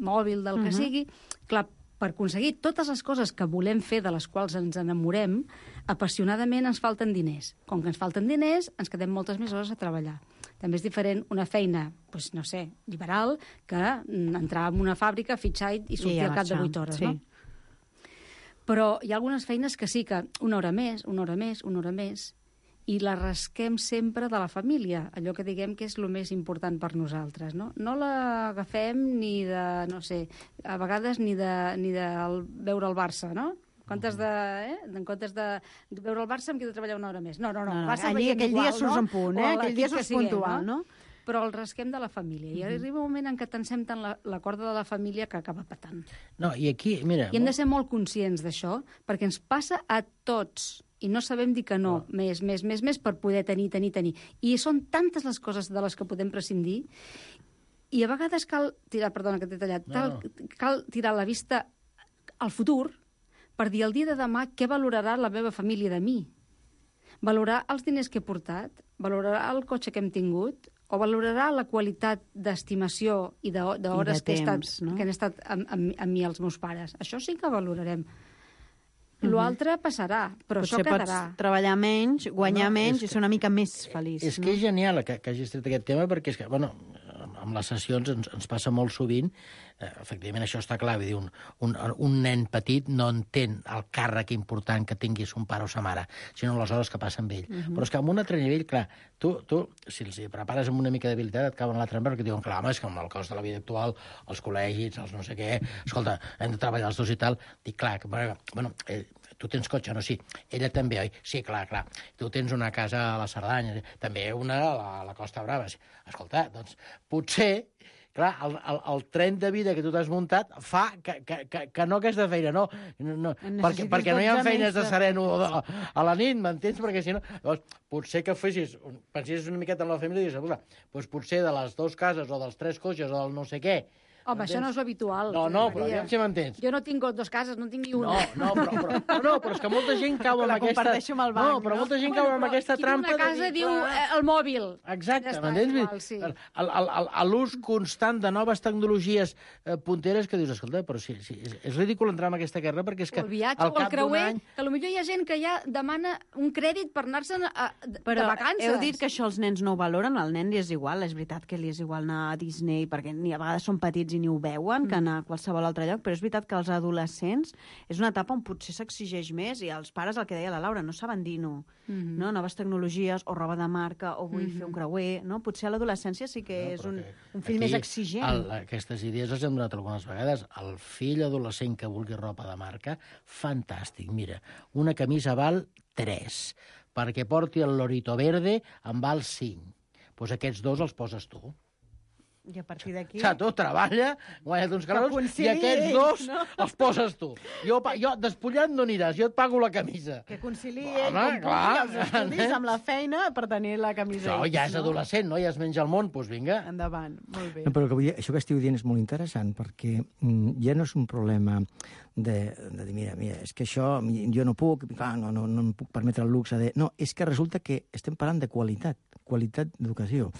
S11: mòbil, del que sigui. Clar, per aconseguir totes les coses que volem fer, de les quals ens enamorem, apassionadament ens falten diners. Com que ens falten diners, ens quedem moltes més hores a treballar. També és diferent una feina, doncs, no sé, liberal, que entrar en una fàbrica, fitxar i sortir al cap de 8 hores, no? Però hi ha algunes feines que sí que una hora més, i la rasquem sempre de la família, allò que diguem que és el més important per nosaltres, no? No l'agafem ni de, no sé, a vegades ni de veure el Barça, no? En comptes de veure el Barça, em quedo a treballar una hora més. No.
S8: Aquell dia surts en punt, aquell dia surts puntual, no?
S11: Però el rasquem de la família. I arriba un moment en què tensem tant la corda de la família que acaba patant.
S12: No, i aquí, mira...
S11: I hem de ser molt conscients d'això, perquè ens passa a tots, i no sabem dir que no, més, per poder tenir. I són tantes les coses de les que podem prescindir, i a vegades cal tirar, perdona que t'he tallat, cal tirar la vista al futur, per dir el dia de demà què valorarà la meva família de mi. Valorarà els diners que he portat, valorarà el cotxe que hem tingut, o valorarà la qualitat d'estimació i d'hores que han estat amb mi els meus pares. Això sí que valorarem. L'altre passarà, però
S8: potser
S11: això quedarà.
S8: Potser pots treballar menys, guanyar menys i ser una mica més feliç.
S12: És que és genial que hagis tret aquest tema, perquè és que, bueno, amb les sessions ens passa molt sovint, efectivament això està clar, vull dir, un nen petit no entén el càrrec important que tinguis un pare o sa mare, sinó les hores que passa amb ell. Però és que amb un altre nivell, clar, tu si els prepares amb una mica d'habilitat, et cauen a l'altre perquè diuen, clar, home, és que amb el cost de la vida actual, els col·legis, els no sé què, escolta, hem de treballar els dos i tal, dic, clar, bueno, tu tens cotxe, no? Sí. Ella també, oi? Sí, clar. Tu tens una casa a la Cerdanya, també una a la Costa Brava. Escolta, doncs, potser, clar, el tren de vida que tu t'has muntat fa que no aquesta feina, no. Perquè no hi ha feines de sereno a la nit, m'entens? Perquè si no... Llavors, potser que pensessis una miqueta en la família i dius, doncs potser de les dues cases o dels 3 cotxes o del no sé què.
S11: Home, això no és habitual.
S12: No, però aviam si m'entens.
S11: Jo no tinc 2 cases, no en tinc ni una.
S12: Però és que molta gent cau amb aquesta...
S8: comparteixo amb el banc.
S12: No, però molta gent cau amb aquesta trampa...
S11: Qui té una casa diu el mòbil.
S12: Exacte, m'entens? L'ús constant de noves tecnologies punteres que dius, escolta, però sí, és ridícul entrar en aquesta guerra perquè és que...
S11: El viatge o el creuer, que potser hi ha gent que ja demana un crèdit per anar-se'n de vacances.
S8: Heu dit que això els nens no ho valoren, al nen li és igual, és veritat que li és igual anar a Disney, perquè ni a vegades són petits i ni ho veuen, que anar a qualsevol altre lloc, però és veritat que els adolescents és una etapa on potser s'exigeix més i els pares, el que deia la Laura, no saben dir no. No? Noves tecnologies o roba de marca o vull fer un creuer, no? Potser a l'adolescència sí que és un fill més exigent.
S12: Aquestes idees les hem donat algunes vegades. El fill adolescent que vulgui roba de marca, fantàstic. Mira, una camisa val 3, perquè porti el lorito verde en val 5. Doncs aquests 2 els poses tu.
S8: I a partir d'aquí...
S12: Tu treballa, guanya't uns calors, i aquests dos els poses tu. Jo despullat no aniràs, jo et pago la camisa.
S8: Que conciliï ell com pugui els estudis amb la feina per tenir la camisa.
S12: Això ja és adolescent, no? Ja es menja el món, doncs vinga.
S8: Endavant, molt bé.
S10: No, però això que esteu dient és molt interessant, perquè ja no és un problema de dir, mira, és que això jo no puc, clar, no em puc permetre el luxe de... No, és que resulta que estem parlant de qualitat d'educació.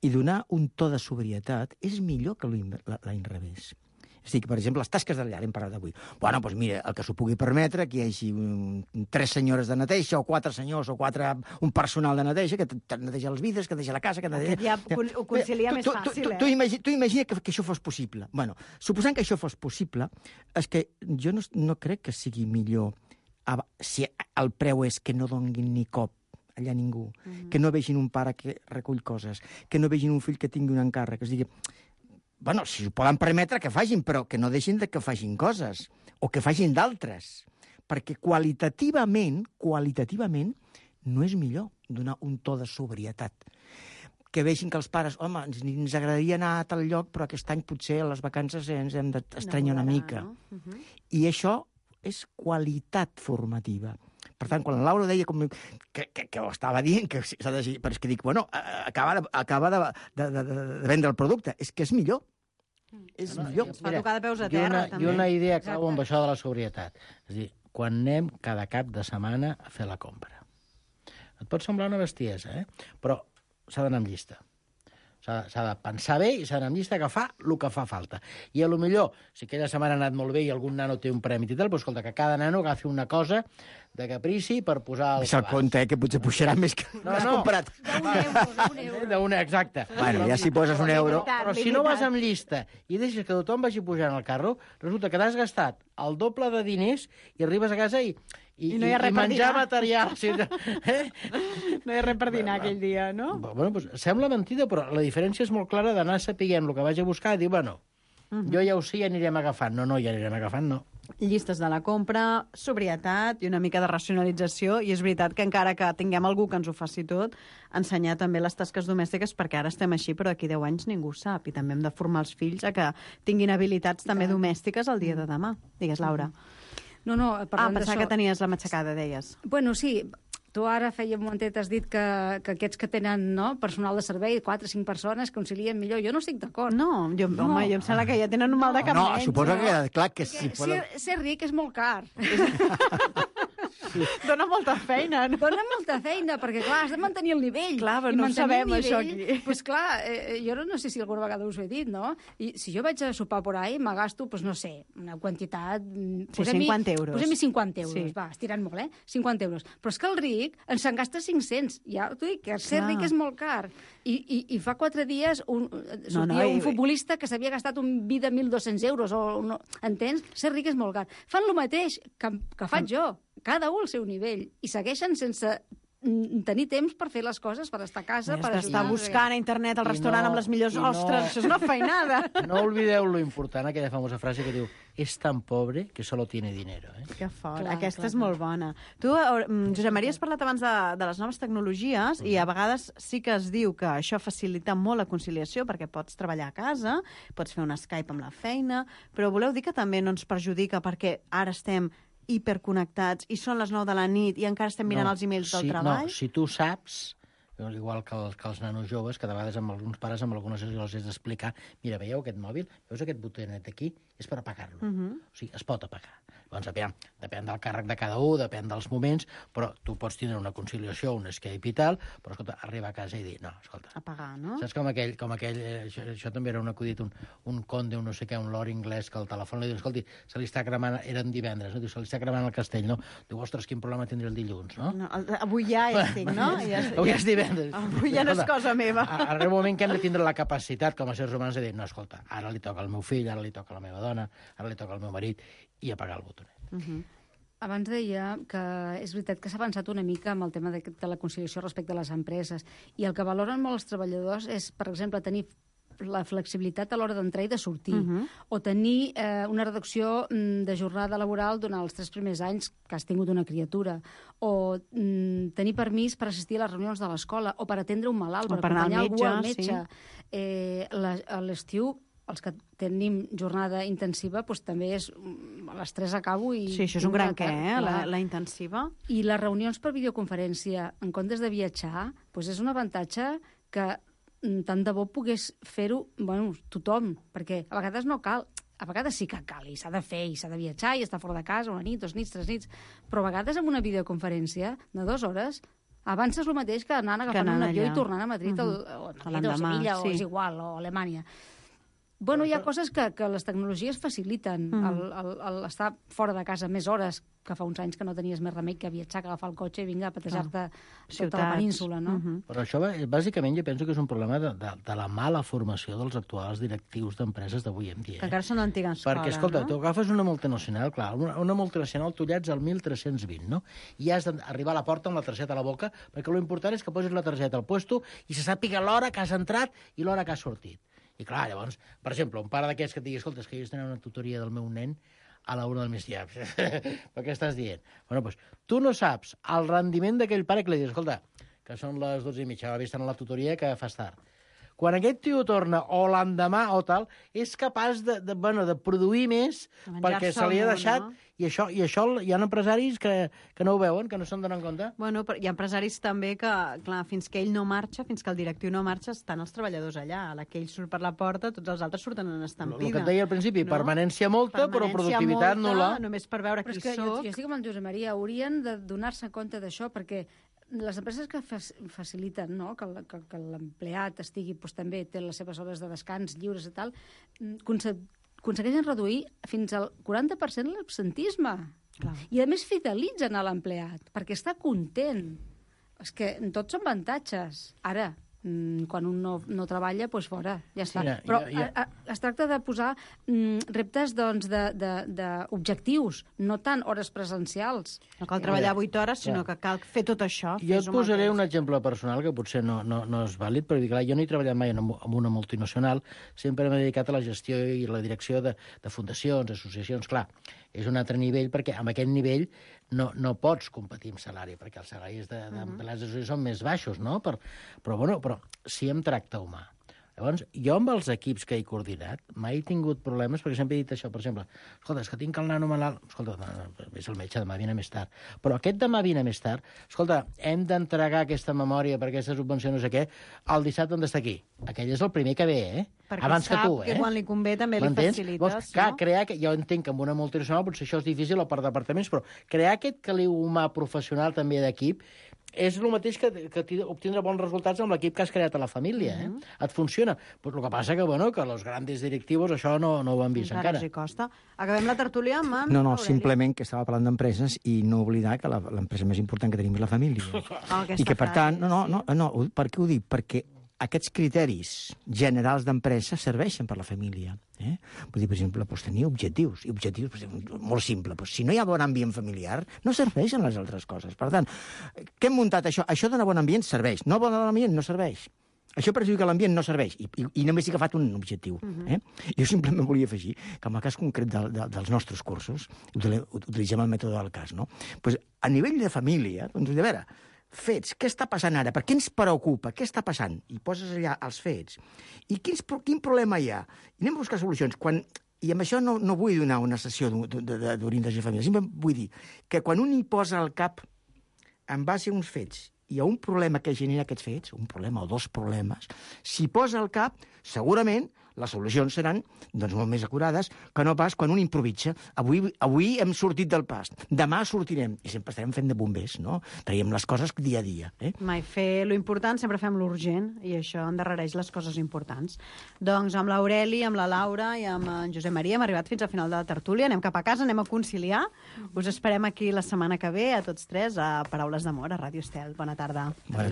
S10: I donar un to de sobrietat és millor que l'any revés. És a dir, per exemple, les tasques de llar, hem parlat d'avui. Bueno, doncs mira, el que s'ho pugui permetre, que hi hagi 3 senyores de neteja, o 4 senyors, o un personal de neteja, que neteja els vidres, que neteja la casa...
S8: Ja ho concilia més fàcil,
S10: Tu imagina que això fos possible. Bueno, suposant que això fos possible, és que jo no crec que sigui millor si el preu és que no donguin ni cop allà ningú, que no vegin un pare que recull coses, que no vegin un fill que tingui un encàrrec, que es digui, bueno, si ho poden permetre que facin, però que no deixin que facin coses, o que facin d'altres, perquè qualitativament no és millor donar un to de sobrietat. Que vegin que els pares, home, ens agradaria anar a tal lloc, però aquest any potser a les vacances ens hem d'estranyar una mica. I això és qualitat formativa. Per tant, quan la Laura deia que ho estava dient, que s'ha de... Però és que dic, bueno, acaba de vendre el producte. És que és millor. És millor.
S8: Es fa tocar de peus a terra, també.
S12: I una idea acabo amb això de la sobrietat. És a dir, quan anem cada cap de setmana a fer la compra. Et pot semblar una bestiesa, però s'ha d'anar amb llista. S'ha de pensar bé i s'ha d'anar amb llista, agafar el que fa falta. I a lo millor, si aquella setmana ha anat molt bé i algun nano té un premi i tal, doncs escolta, que cada nano agafi una cosa de caprici per posar al
S10: cabàs. Compte, que potser pujarà més que l'has comprat.
S12: D'un euro, exacte.
S10: Bueno, ja si poses €1...
S12: Però si no vas amb llista i deixes que tothom vagi pujant al carro, resulta que t'has gastat el doble de diners i arribes a casa i
S8: no hi ha res per
S12: menjar
S8: dinar.
S12: material.
S8: No hi ha res per dinar aquell dia, no?
S12: Bueno, doncs sembla mentida, però la diferència és molt clara d'anar sapiguent el que vaig a buscar i dir, bueno, jo ja ho sé, ja anirem agafant. No, ja anirem agafant, no.
S8: Llistes de la compra, sobrietat i una mica de racionalització, i és veritat que encara que tinguem algú que ens ho faci tot, ensenyar també les tasques domèstiques, perquè ara estem així, però d'aquí 10 anys ningú sap, i també hem de formar els fills a que tinguin habilitats també domèstiques el dia de demà. Digues, Laura.
S11: No, parlant
S8: pensava que tenies la matxacada, deies.
S11: Bueno, sí, tu ara feia un momentet has dit que aquests que tenen personal de servei, 4 o 5 persones, concilien millor. Jo no estic d'acord.
S8: No, home, jo em sembla que ja tenen un mal de cap
S10: menys. No, suposo que queda clar que sí.
S11: Ser ric és molt car.
S8: Dóna molta feina, no?
S11: Dóna molta feina, perquè, clar, has de mantenir el nivell.
S8: Clar, però no sabem això aquí.
S11: Doncs, clar, jo no sé si alguna vegada us ho he dit, no? I si jo vaig a sopar por ahí, me gasto, doncs no sé, una quantitat...
S8: Sí, 50 euros.
S11: Posem-hi 50 euros, va, estirant molt, 50 euros. Però és que el ric se'n gasta 500. Ja t'ho dic, que ser ric és molt car. I fa 4 dies sortia un futbolista que s'havia gastat un vi de 1.200 euros, entens? Ser ric és molt car. Fan el mateix que faig jo, cada un al seu nivell, i segueixen sense tenir temps per fer les coses, per estar a casa, per ajudar.
S8: Estar buscant a internet el restaurant amb les millors ostres, això és una feinada.
S12: No oblideu lo important, aquella famosa frase que diu és tan pobre que solo tiene dinero.
S8: Que fort, aquesta és molt bona. Tu, Josep Maria, has parlat abans de les noves tecnologies i a vegades sí que es diu que això facilita molt la conciliació perquè pots treballar a casa, pots fer un Skype amb la feina, però voleu dir que també no ens perjudica perquè ara estem hiperconnectats i són les 9 de la nit i encara estem mirant els e-mails del treball?
S12: No, si tu saps, igual que els nanos joves, que de vegades amb alguns pares, amb algunes els has d'explicar, mira, veieu aquest mòbil? Veus aquest botonet aquí? És per apagar-lo. O sigui, es pot apagar. Llavors, depèn del càrrec de cada un, depèn dels moments, però tu pots tenir una conciliació, un escape i tal, però, escolta, arribar a casa i dir, no, escolta...
S8: Apagar, no?
S12: Saps com aquell això també era un acudit, un conde, un no sé què, un lord anglès, que al telèfon li diu, escolti, se li està cremant, eren divendres, no? Diu, se li està cremant el castell, no? Diu, ostres, quin problema tindré el dilluns, no?
S8: Avui ja estic, no?
S12: Avui és divendres.
S8: Avui ja no és cosa meva.
S12: Arriba un moment que hem de tindre la capacitat, com a seres humans, de dir, no, escolta, ara li toca al meu fill, ara li toca a la meva dona, ara li toca al meu marit, i apagar el botonet.
S11: Abans deia que és veritat que s'ha avançat una mica amb el tema de la conciliació respecte a les empreses, i el que valoren molt els treballadors és, per exemple, tenir la flexibilitat a l'hora d'entrar i de sortir, o tenir una reducció de jornada laboral durant els 3 primers anys que has tingut una criatura, o tenir permís per assistir a les reunions de l'escola, o per atendre un malalt, per acompanyar algú al metge. A l'estiu, els que tenim jornada intensiva, doncs també és a les 3 acabo i...
S8: Sí, això és un gran què, la intensiva.
S11: I les reunions per videoconferència, en comptes de viatjar, doncs és un avantatge que tant de bo pogués fer-ho tothom, perquè a vegades no cal, a vegades sí que cal, i s'ha de fer, i s'ha de viatjar, i estar fora de casa una nit, 2 nits, 3 nits, però a vegades amb una videoconferència de 2 hores avances el mateix que anant agafant un avió i tornant a Madrid o a Sevilla, o és igual, o a Alemanya. Bueno, hi ha coses que les tecnologies faciliten. Estar fora de casa més hores, que fa uns anys que no tenies més remei que viatjar, que agafar el cotxe i vinga a patejar-te tota la península, no?
S12: Però això, bàsicament, jo penso que és un problema de la mala formació dels actuals directius d'empreses d'avui en dia.
S8: Que encara són d'antiga escola,
S12: perquè, escolta, tu agafes una multinacional, clar, una multinacional tu llets al 1320, no? I has d'arribar a la porta amb la targeta a la boca, perquè l'important és que posis la targeta al puesto i se sàpiga l'hora que has entrat i l'hora que has sortit. I clar, llavors, per exemple, un pare d'aquests que et digui, escolta, és que jo estic anant a una tutoria del meu nen a la 1 del migdia. Per què estàs dient? Bueno, doncs, tu no saps el rendiment d'aquell pare que li dius, escolta, que són les 12:30, va estar a la tutoria que fas tard. Quan aquest tio torna, o l'endemà o tal, és capaç de produir més perquè se li ha deixat... I això hi ha empresaris que no ho veuen, que no se'n donen compte.
S8: Bueno, hi ha empresaris també que, clar, fins que ell no marxa, fins que el directiu no marxa, estan els treballadors allà. A la que ell surt per la porta, tots els altres surten en estampida.
S12: El que et deia al principi, permanència molta, però productivitat nul·la.
S8: Només per veure qui soc.
S11: Jo estic amb el Josep Maria, haurien de donar-se compte d'això, perquè les empreses que faciliten, no?, que l'empleat estigui, doncs, també té les seves hores de descans lliures i tal, aconsegueixen reduir fins al 40% l'absentisme. I, a més, fidelitzen a l'empleat, perquè està content. És que tots són avantatges. Ara, quan un no treballa, doncs fora, ja està. Però es tracta de posar reptes d'objectius, no tant hores presencials.
S8: No cal treballar 8 hores, sinó que cal fer tot això.
S12: Jo et posaré un exemple personal que potser no és vàlid, però clar, jo no he treballat mai en una multinacional, sempre m'he dedicat a la gestió i la direcció de fundacions, associacions. Clar, és un altre nivell, perquè amb aquest nivell no pots competir amb salari, perquè els salaris d'empleats són més baixos, no? Però sí amb tracte humà. Llavors, jo amb els equips que he coordinat mai he tingut problemes, perquè sempre he dit això, per exemple, escolta, és que tinc el nano malalt, escolta, és el metge, demà vine més tard. Però aquest demà vine més tard, escolta, hem d'entregar aquesta memòria per aquesta subvenció no sé què, el dissabte on està aquí. Aquell és el primer que ve,
S8: perquè
S12: abans que tu,
S8: que quan li convé també li facilites.
S12: Clar, jo entenc que amb una multinacional potser això és difícil o per departaments, però crear aquest caliu humà professional també d'equip és el mateix que obtindre bons resultats amb l'equip que has creat a la família. Et funciona. Però el que passa que els grans directius això no ho han vist encara.
S8: Encara els costa. Acabem la tertúlia amb en
S10: No, simplement que estava parlant d'empreses i no oblidar que l'empresa més important que tenim és la família. I que, per tant, per què ho dic? Perquè aquests criteris generals d'empresa serveixen per la família. Vull dir, per exemple, tenir objectius. I objectius, molt simple. Si no hi ha bon ambient familiar, no serveixen les altres coses. Per tant, què hem muntat això? Això dona bon ambient? Serveix. No bon ambient? No serveix. Això perjudica l'ambient? No serveix. I només he agafat un objectiu. Jo simplement volia afegir que en el cas concret dels nostres cursos, utilitzem el mètode del cas, no? A nivell de família, doncs, de veure, fets, què està passant ara? Per què ens preocupa? Què està passant? I poses allà els fets. I quin problema hi ha? I anem a buscar solucions. I amb això no vull donar una sessió d'orientació familiar. Simplement vull dir que quan un hi posa al cap en base a uns fets hi ha un problema que genera aquests fets, un problema o dos problemes, s'hi posa al cap, segurament les solucions seran molt més acurades que no pas quan un improvisa. Avui hem sortit del pas, demà sortirem, i sempre estarem fent de bombers, no? Traiem les coses dia a dia.
S8: Mai fer lo important, sempre fem l'urgent, i això endarrereix les coses importants. Doncs amb l'Aureli, amb la Laura i amb en Josep Maria hem arribat fins al final de la tertúlia, anem cap a casa, anem a conciliar. Us esperem aquí la setmana que ve, a tots tres, a Paraules d'Amor, a Ràdio Estel. Bona tarda.
S12: Bona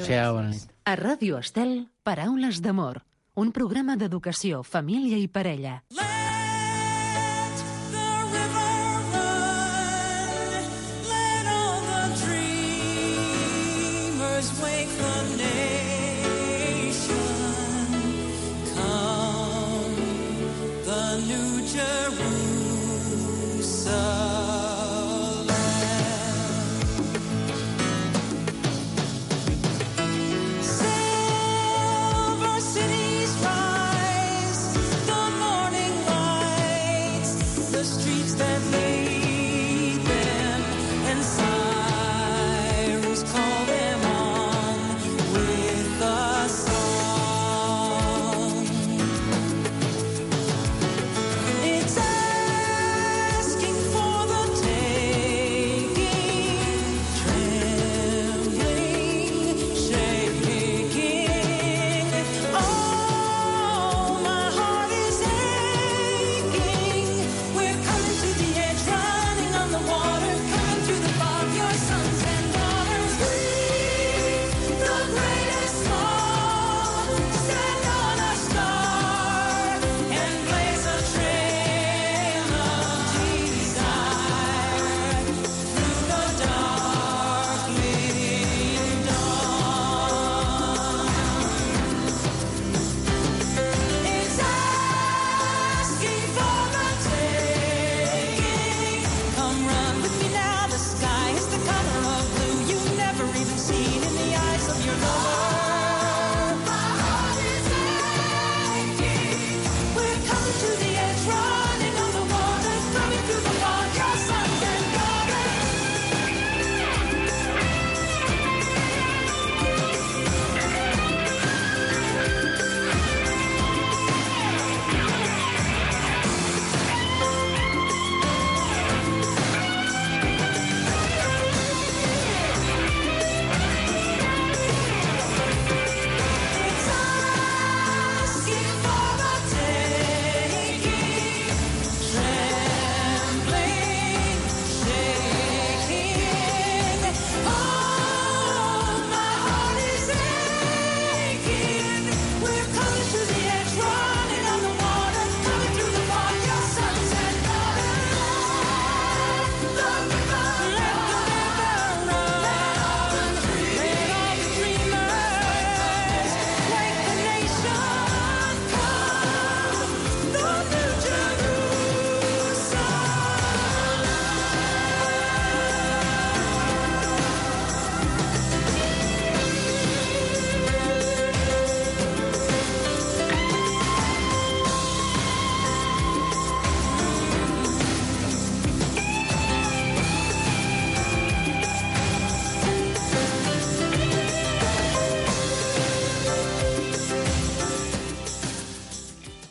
S12: nit.
S5: A Ràdio Estel, Paraules d'Amor, un programa d'educació, família i parella.
S9: Let the river run, let all the dreamers wake the nation. Come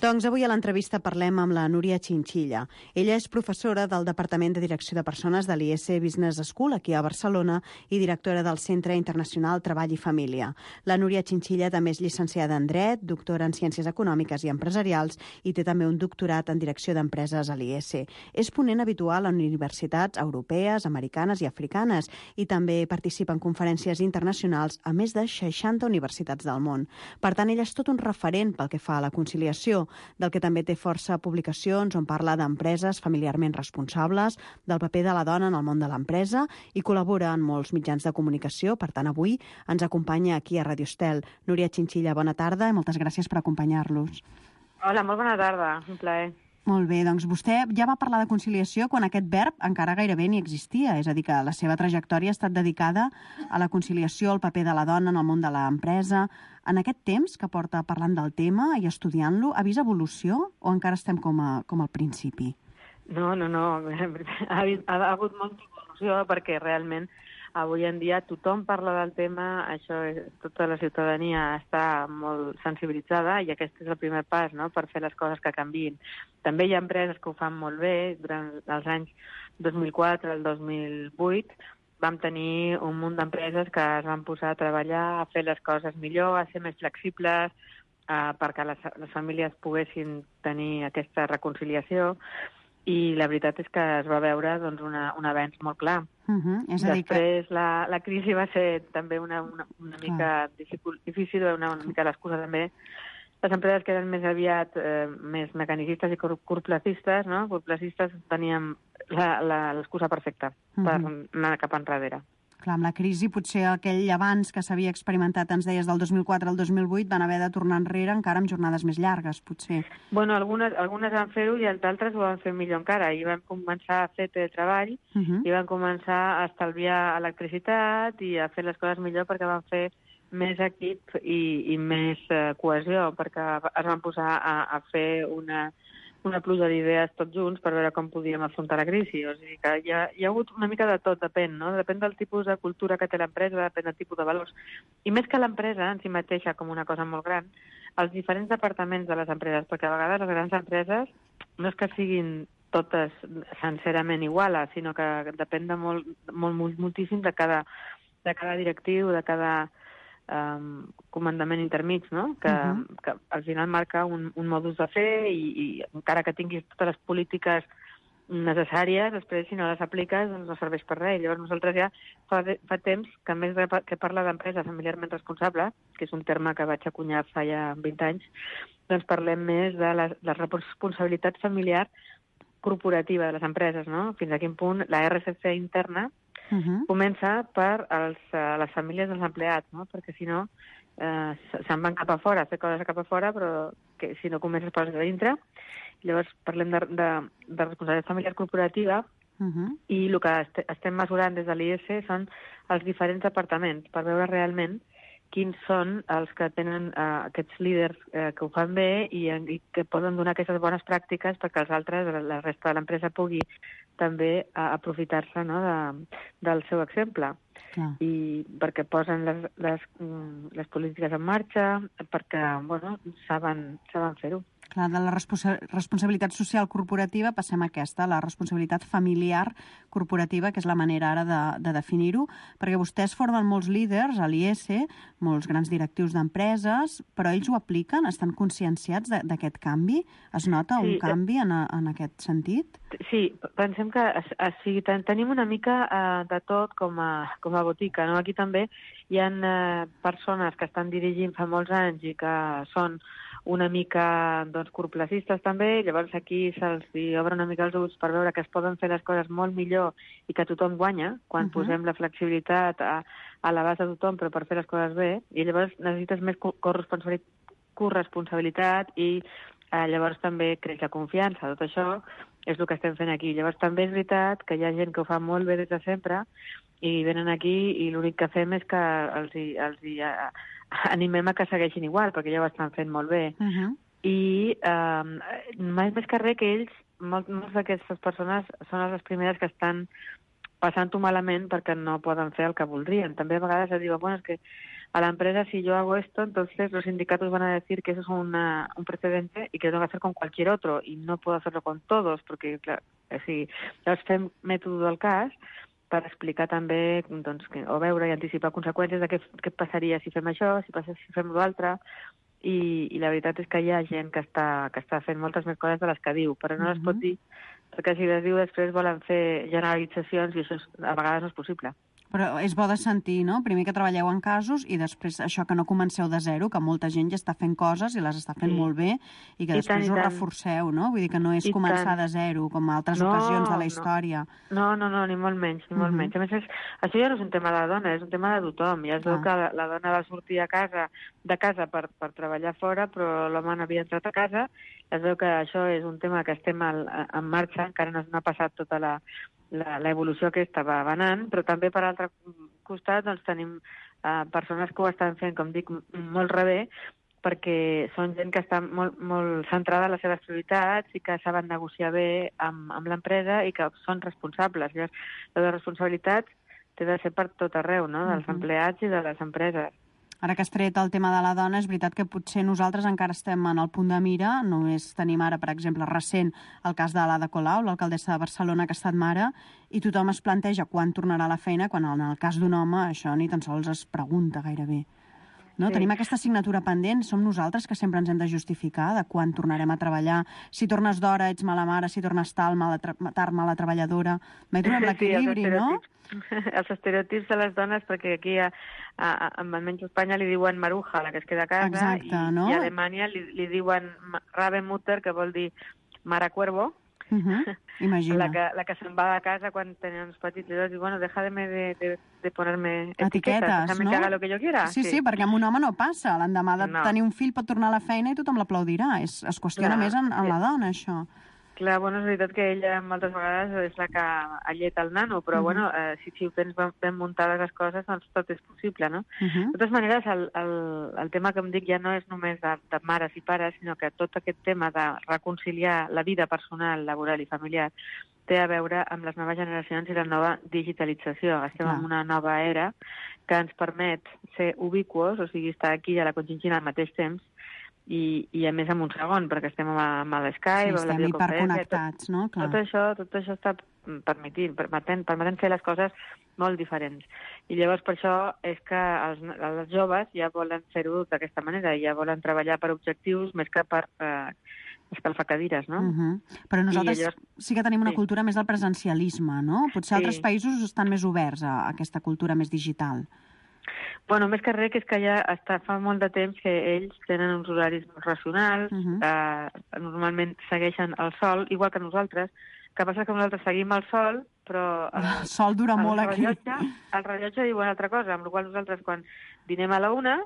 S8: Doncs avui a l'entrevista parlem amb la Núria Chinchilla. Ella és professora del Departament de Direcció de Persones de l'IS Business School, aquí a Barcelona, i directora del Centre Internacional Treball i Família. La Núria Chinchilla també és llicenciada en Dret, doctora en Ciències Econòmiques i Empresarials i té també un doctorat en Direcció d'Empreses a l'IS. És ponent habitual en universitats europees, americanes i africanes i també participa en conferències internacionals a més de 60 universitats del món. Per tant, ella és tot un referent pel que fa a la conciliació, del que també té força publicacions on parla d'empreses familiarment responsables, del paper de la dona en el món de l'empresa i col·labora en molts mitjans de comunicació. Per tant, avui ens acompanya aquí a Radio Estel. Núria Chinchilla, bona tarda i moltes gràcies per acompanyar-los.
S13: Hola, molt bona tarda, un plaer.
S8: Molt bé, doncs vostè ja va parlar de conciliació quan aquest verb encara gairebé ni existia, és a dir, que la seva trajectòria ha estat dedicada a la conciliació, al paper de la dona en el món de l'empresa. En aquest temps que porta parlant del tema i estudiant-lo, ha vist evolució o encara estem com al principi?
S13: No. Ha hagut molta evolució perquè realment avui en dia tothom parla del tema, tota la ciutadania està molt sensibilitzada i aquest és el primer pas, no?, per fer les coses que canviïn. També hi ha empreses que ho fan molt bé. Durant els anys 2004 al 2008 vam tenir un munt d'empreses que es van posar a treballar, a fer les coses millor, a ser més flexibles, perquè les famílies poguessin tenir aquesta reconciliació. I la veritat és que es va veure doncs, un avenç molt clar.
S8: És a dir
S13: Després la crisi va ser també una mica difícil, una mica l'excusa també. Les empreses que eren més aviat més mecanicistes i corporatistes, no? Corporatistes teníem l'excusa perfecta per anar cap enrere.
S8: Clar, amb la crisi potser aquell abans que s'havia experimentat, ens deies, del 2004 al 2008, van haver de tornar enrere encara amb jornades més llargues, potser.
S13: Bueno, algunes van fer-ho i d'altres ho van fer millor encara. I van començar a fer teletreball i van començar a estalviar electricitat i a fer les coses millor perquè van fer més equip i més cohesió, perquè es van posar a fer una pluja d'idees tots junts per veure com podíem afrontar la crisi. O sigui que hi ha hagut una mica de tot, depèn, no? Depèn del tipus de cultura que té l'empresa, depèn del tipus de valors. I més que l'empresa en si mateixa com una cosa molt gran, els diferents departaments de les empreses, perquè a vegades les grans empreses no és que siguin totes sincerament iguals, sinó que depèn de moltíssim de cada directiu, de cada comandament intermig, no? Que al final marca un modus de fer i encara que tinguis totes les polítiques necessàries, després si no les apliques doncs no serveix per res. Llavors nosaltres ja fa temps que a més que parla d'empresa familiarment responsable, que és un terme que vaig acunyar fa ja 20 anys, doncs parlem més de la responsabilitat familiar corporativa de les empreses, no? Fins a quin punt la RSC interna comença per les famílies dels empleats, no? Perquè si no se'n van cap a fora, a fer coses cap a fora, però que si no comences per dintre. Llavors parlem de responsabilitat familiar corporativa i el que estem mesurant des de l'IS són els diferents departaments per veure realment quins són els que tenen aquests líders que ho fan bé i que poden donar aquestes bones pràctiques perquè els altres, la resta de l'empresa, pugui també aprofitar-se, no, del seu exemple. I perquè posen les polítiques en marxa, perquè saben fer-ho.
S8: Clar, de la responsabilitat social corporativa passem a aquesta, la responsabilitat familiar corporativa, que és la manera ara de definir-ho, perquè vostès formen molts líders a l'IS, molts grans directius d'empreses, però ells ho apliquen? Estan conscienciats d'aquest canvi? Es nota un canvi en aquest sentit?
S13: Sí, pensem que tenim una mica de tot com a botica, no? Aquí també hi ha persones que estan dirigint fa molts anys i que són una mica corporatistes també, llavors aquí se'ls obre una mica els ulls per veure que es poden fer les coses molt millor i que tothom guanya quan posem la flexibilitat a l'abast de tothom però per fer les coses bé, i llavors necessites més corresponsabilitat i llavors també creix la confiança. Tot això és el que estem fent aquí. Llavors també és veritat que hi ha gent que ho fa molt bé des de sempre i venen aquí i l'únic que fem és que els animem a que segueixin igual, perquè ja ho estan fent molt bé. I més que res que ells, moltes d'aquestes persones són les primeres que estan passant-ho malament perquè no poden fer el que voldrien. També a vegades es diuen, és que a la empresa, si yo hago esto, entonces los sindicatos van a decir que eso es un precedente y que lo tengo que hacer con cualquier otro, y no puedo hacerlo con todos, perquè, clar, si llavors fem mètode del cas per explicar també, doncs, o veure i anticipar conseqüències de què passaria si fem això, si fem l'altre, i la veritat és que hi ha gent que està fent moltes més coses de les que diu, però no les pot dir, perquè si les diu després volen fer generalitzacions i això a vegades no és possible.
S8: Però és bo de sentir, no? Primer que treballeu en casos i després això que no comenceu de zero, que molta gent ja està fent coses i les està fent molt bé i que després ho reforceu, no? Vull dir que no és començar de zero, com a altres ocasions de la història.
S13: No, ni molt menys, ni molt menys. A més, això ja no és un tema de la dona, és un tema de tothom. Ja es veu que la dona va sortir de casa per treballar fora, però l'home n'havia entrat a casa. Es veu que això és un tema que estem en marxa, encara no ha passat tota l'evolució aquesta va anant, però també per altre costat doncs, tenim persones que ho estan fent, com dic, molt rebé, perquè són gent que està molt centrada en les seves prioritats i que saben negociar bé amb l'empresa i que són responsables. Llavors, la responsabilitat té de ser per tot arreu, no? Dels empleats i de les empreses.
S8: Ara que has tret el tema de la dona, és veritat que potser nosaltres encara estem en el punt de mira. Només tenim ara, per exemple, recent el cas de l'Ada Colau, l'alcaldessa de Barcelona, que ha estat mare, i tothom es planteja quan tornarà a la feina, quan en el cas d'un home això ni tan sols es pregunta gairebé. No? Sí. Tenim aquesta assignatura pendent, som nosaltres que sempre ens hem de justificar de quan tornarem a treballar. Si tornes d'hora ets mala mare, si tornes tard, mala treballadora. Mai trobem l'equilibri, no?
S13: Els estereotips de les dones, perquè aquí almenys a Espanya li diuen maruja, la que es queda a casa.
S8: Exacte, no?
S13: I a Alemanya li diuen Rabenmutter, que vol dir mare cuervo.
S8: Imagina.
S13: La que se'n va de casa quan tenia uns petits, i diu, bueno, déjame de ponerme etiquetes, déjame
S8: no?
S13: que haga lo que yo quiera.
S8: Sí, perquè amb un home no passa. L'endemà de tenir un fill pot tornar a la feina i tothom l'aplaudirà. Es qüestiona més en la dona, això.
S13: Clar, bueno, és veritat que ella moltes vegades és la que alleta el nano, però bueno, si ho tens ben muntades les coses, doncs tot és possible, no? De totes maneres, el tema que em dic ja no és només de mares i pares, sinó que tot aquest tema de reconciliar la vida personal, laboral i familiar té a veure amb les noves generacions i la nova digitalització. Estem en una nova era que ens permet ser ubiquos, o sigui, estar aquí a la Conchinchina al mateix temps, i a més en un segon, perquè estem amb l'Skype, amb la videoconferència. Sí, estem
S8: hiperconnectats, no? Clar.
S13: Tot això està permetent fer les coses molt diferents. I llavors per això és que els joves ja volen fer-ho d'aquesta manera, ja volen treballar per objectius més que per escalfar cadires, no?
S8: Però nosaltres sí que tenim una cultura més del presencialisme, no? Potser altres països estan més oberts a aquesta cultura més digital.
S13: Bueno, més que res, que és que ja fa molt de temps que ells tenen uns horaris racionals, normalment segueixen el sol, igual que nosaltres. El que passa que nosaltres seguim el sol, però
S8: el sol dura molt aquí.
S13: El rellotge diu una altra cosa, amb la qual nosaltres quan dinem a la 1,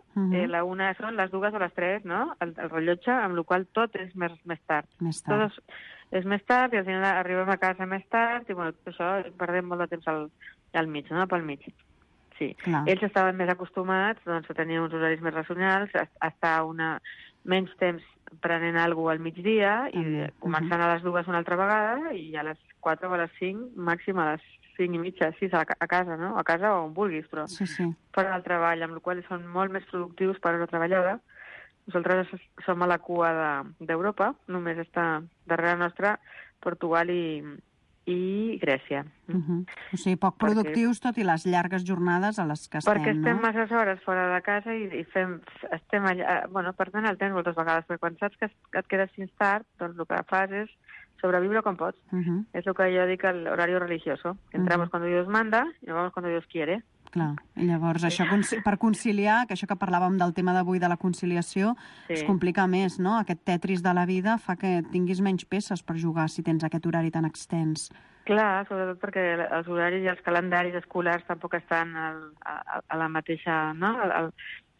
S13: la 1 són les 2 o les 3, no? El rellotge, amb la qual tot és més tard. Tot és més tard i al final arribem a casa més tard i bueno, tot això perdem molt de temps al mig, no? Pel mig. Sí. Ells estaven més acostumats doncs, a tenir uns horaris més racionals, a estar menys temps prenent alguna cosa al migdia i començant a les 2 una altra vegada i a les 4 o a les 5, màxim a les 5 i mitja, 6 a casa, no? A casa o on vulguis, però fora del treball, amb la qual són molt més productius per a la treballada. Nosaltres som a la cua d'Europa, només està darrere nostra Portugal i Grècia.
S8: O sigui, poc productius, tot i les llargues jornades a les que estem, no?
S13: Perquè estem masses hores fora de casa i estem allà... Bueno, perdent el temps moltes vegades, perquè quan saps que et quedes fins tard, doncs el que fas és sobreviure com pots. És el que jo dic l'horario religioso. Entramos cuando Dios manda y nos vamos cuando Dios quiere.
S8: Clar, i llavors això per conciliar, que això que parlàvem del tema d'avui de la conciliació, es complica més, no? Aquest tetris de la vida fa que tinguis menys peces per jugar si tens aquest horari tan extens.
S13: Clar, sobretot perquè els horaris i els calendaris escolars tampoc estan a la mateixa... no?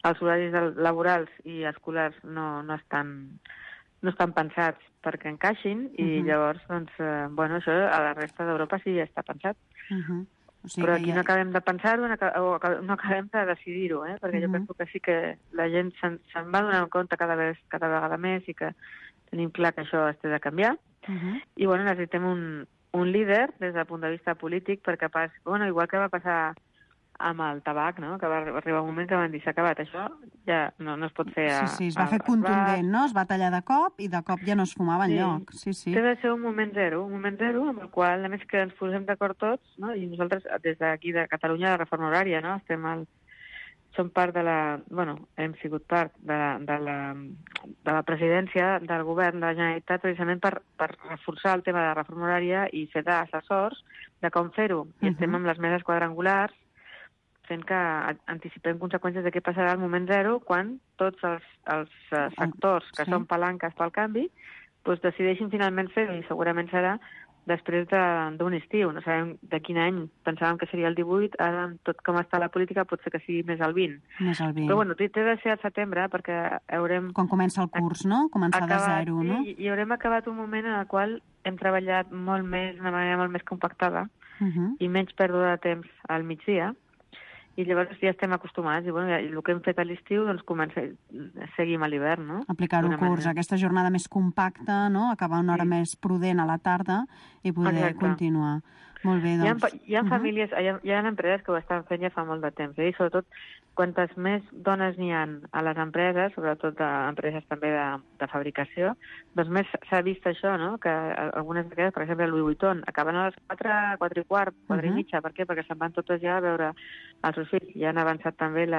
S13: Els horaris laborals i escolars no estan pensats perquè encaixin i llavors, doncs, bueno, això a la resta d'Europa sí ja està pensat. O sigui, però aquí no acabem de pensar-ho o no acabem de decidir-ho, perquè jo penso que sí que la gent se'n va donar compte cada vegada més i que tenim clar que això es té de canviar. I bueno, necessitem un líder des del punt de vista polític perquè igual que va passar amb el tabac, no? Que va arribar un moment que van dir s'ha acabat, això ja no es pot fer...
S8: Sí, es va fer contundent, no? Es va tallar de cop i de cop ja no es fumava enlloc. Sí.
S13: Té de ser un moment zero amb el qual, a més que ens posem d'acord tots, no? I nosaltres, des d'aquí de Catalunya, la reforma horària, no? Som part de la... hem sigut part de la presidència del govern de la Generalitat precisament per reforçar el tema de la reforma horària i ser d'assessors de com fer-ho. I estem amb les meses quadrangulars fent que anticipem conseqüències de què passarà al moment zero quan tots els sectors que són palanques pel canvi decideixin finalment fer-ho, i segurament serà després d'un estiu. No sabem de quin any pensàvem que seria el 18, ara amb tot com està la política pot ser que sigui més el 20. Però té de ser al setembre perquè haurem...
S8: Quan comença el curs, no? Començar de zero, no?
S13: I haurem acabat un moment en el qual hem treballat molt més, d'una manera molt més compactada i menys pèrdua de temps al migdia. I llavors ja estem acostumats, i el que hem fet a l'estiu, seguim a l'hivern, no?
S8: Aplicar-ho curs, aquesta jornada més compacta, no? Acabar una hora més prudent a la tarda i poder continuar. Molt bé, doncs.
S13: Hi ha famílies, hi ha empreses que ho estan fent ja fa molt de temps, i sobretot quantes més dones n'hi ha a les empreses, sobretot empreses també de fabricació, doncs més s'ha vist això, no? Que algunes d'aquestes, per exemple, el Louis Vuitton, acaben a les 4 i quart, 4 i mitja. Per què? Perquè se'n van totes ja a veure els seus fills. Ja han avançat també el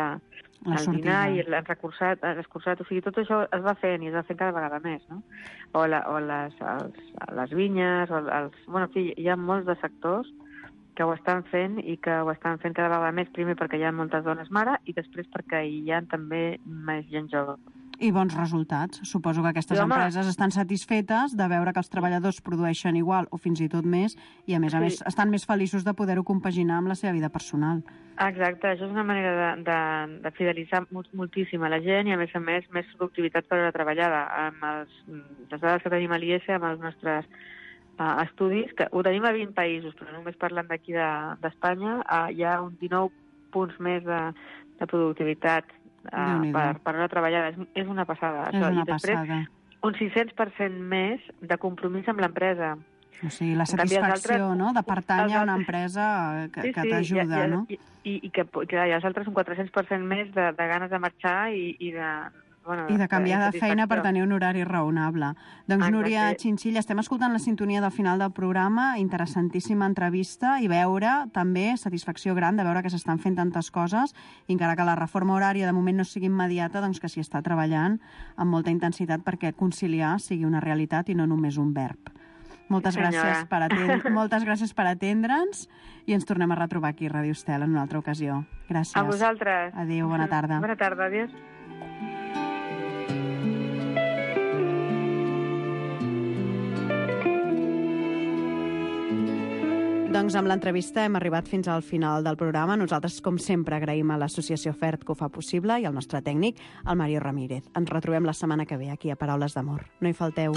S13: dinar i l'han escurçat. O sigui, tot això es va fent i es va fent cada vegada més, no? O les vinyes, en fi, hi ha molts de sectors que ho estan fent i que ho estan fent cada vegada més, primer perquè hi ha moltes dones mare i després perquè hi ha també més gent jove.
S8: I bons resultats. Suposo que aquestes empreses estan satisfetes de veure que els treballadors produeixen igual o fins i tot més i, a més, estan més feliços de poder-ho compaginar amb la seva vida personal.
S13: Exacte, això és una manera de fidelitzar moltíssim a la gent i, a més, més productivitat per hora treballada. Amb les dades que tenim a l'IES, amb els nostres estudis, que ho tenim a 20 països, però només parlant d'aquí d'Espanya, hi ha un 19 punts més de productivitat per hora treballada. És una passada.
S8: És una passada.
S13: Un 600% més de compromís amb l'empresa.
S8: O sigui, la satisfacció, no?, de pertànyer a una empresa que t'ajuda, no?
S13: I que els altres un 400% més de ganes de marxar i
S8: de canviar de feina per tenir un horari raonable. Doncs, Núria Chinchilla, estem escoltant la sintonia del final del programa, interessantíssima entrevista, i veure també satisfacció gran de veure que s'estan fent tantes coses, i encara que la reforma horària de moment no sigui immediata, doncs que s'hi està treballant amb molta intensitat perquè conciliar sigui una realitat i no només un verb. Moltes gràcies per atendre'ns i ens tornem a retrobar aquí a Ràdio Estel en una altra ocasió. Gràcies.
S13: A vosaltres.
S8: Adéu, bona tarda.
S13: Bona tarda, adéu.
S8: Doncs amb l'entrevista hem arribat fins al final del programa. Nosaltres, com sempre, agraïm a l'Associació FERT que ho fa possible i al nostre tècnic, el Mario Ramírez. Ens retrobem la setmana que ve aquí a Paraules d'Amor. No hi falteu.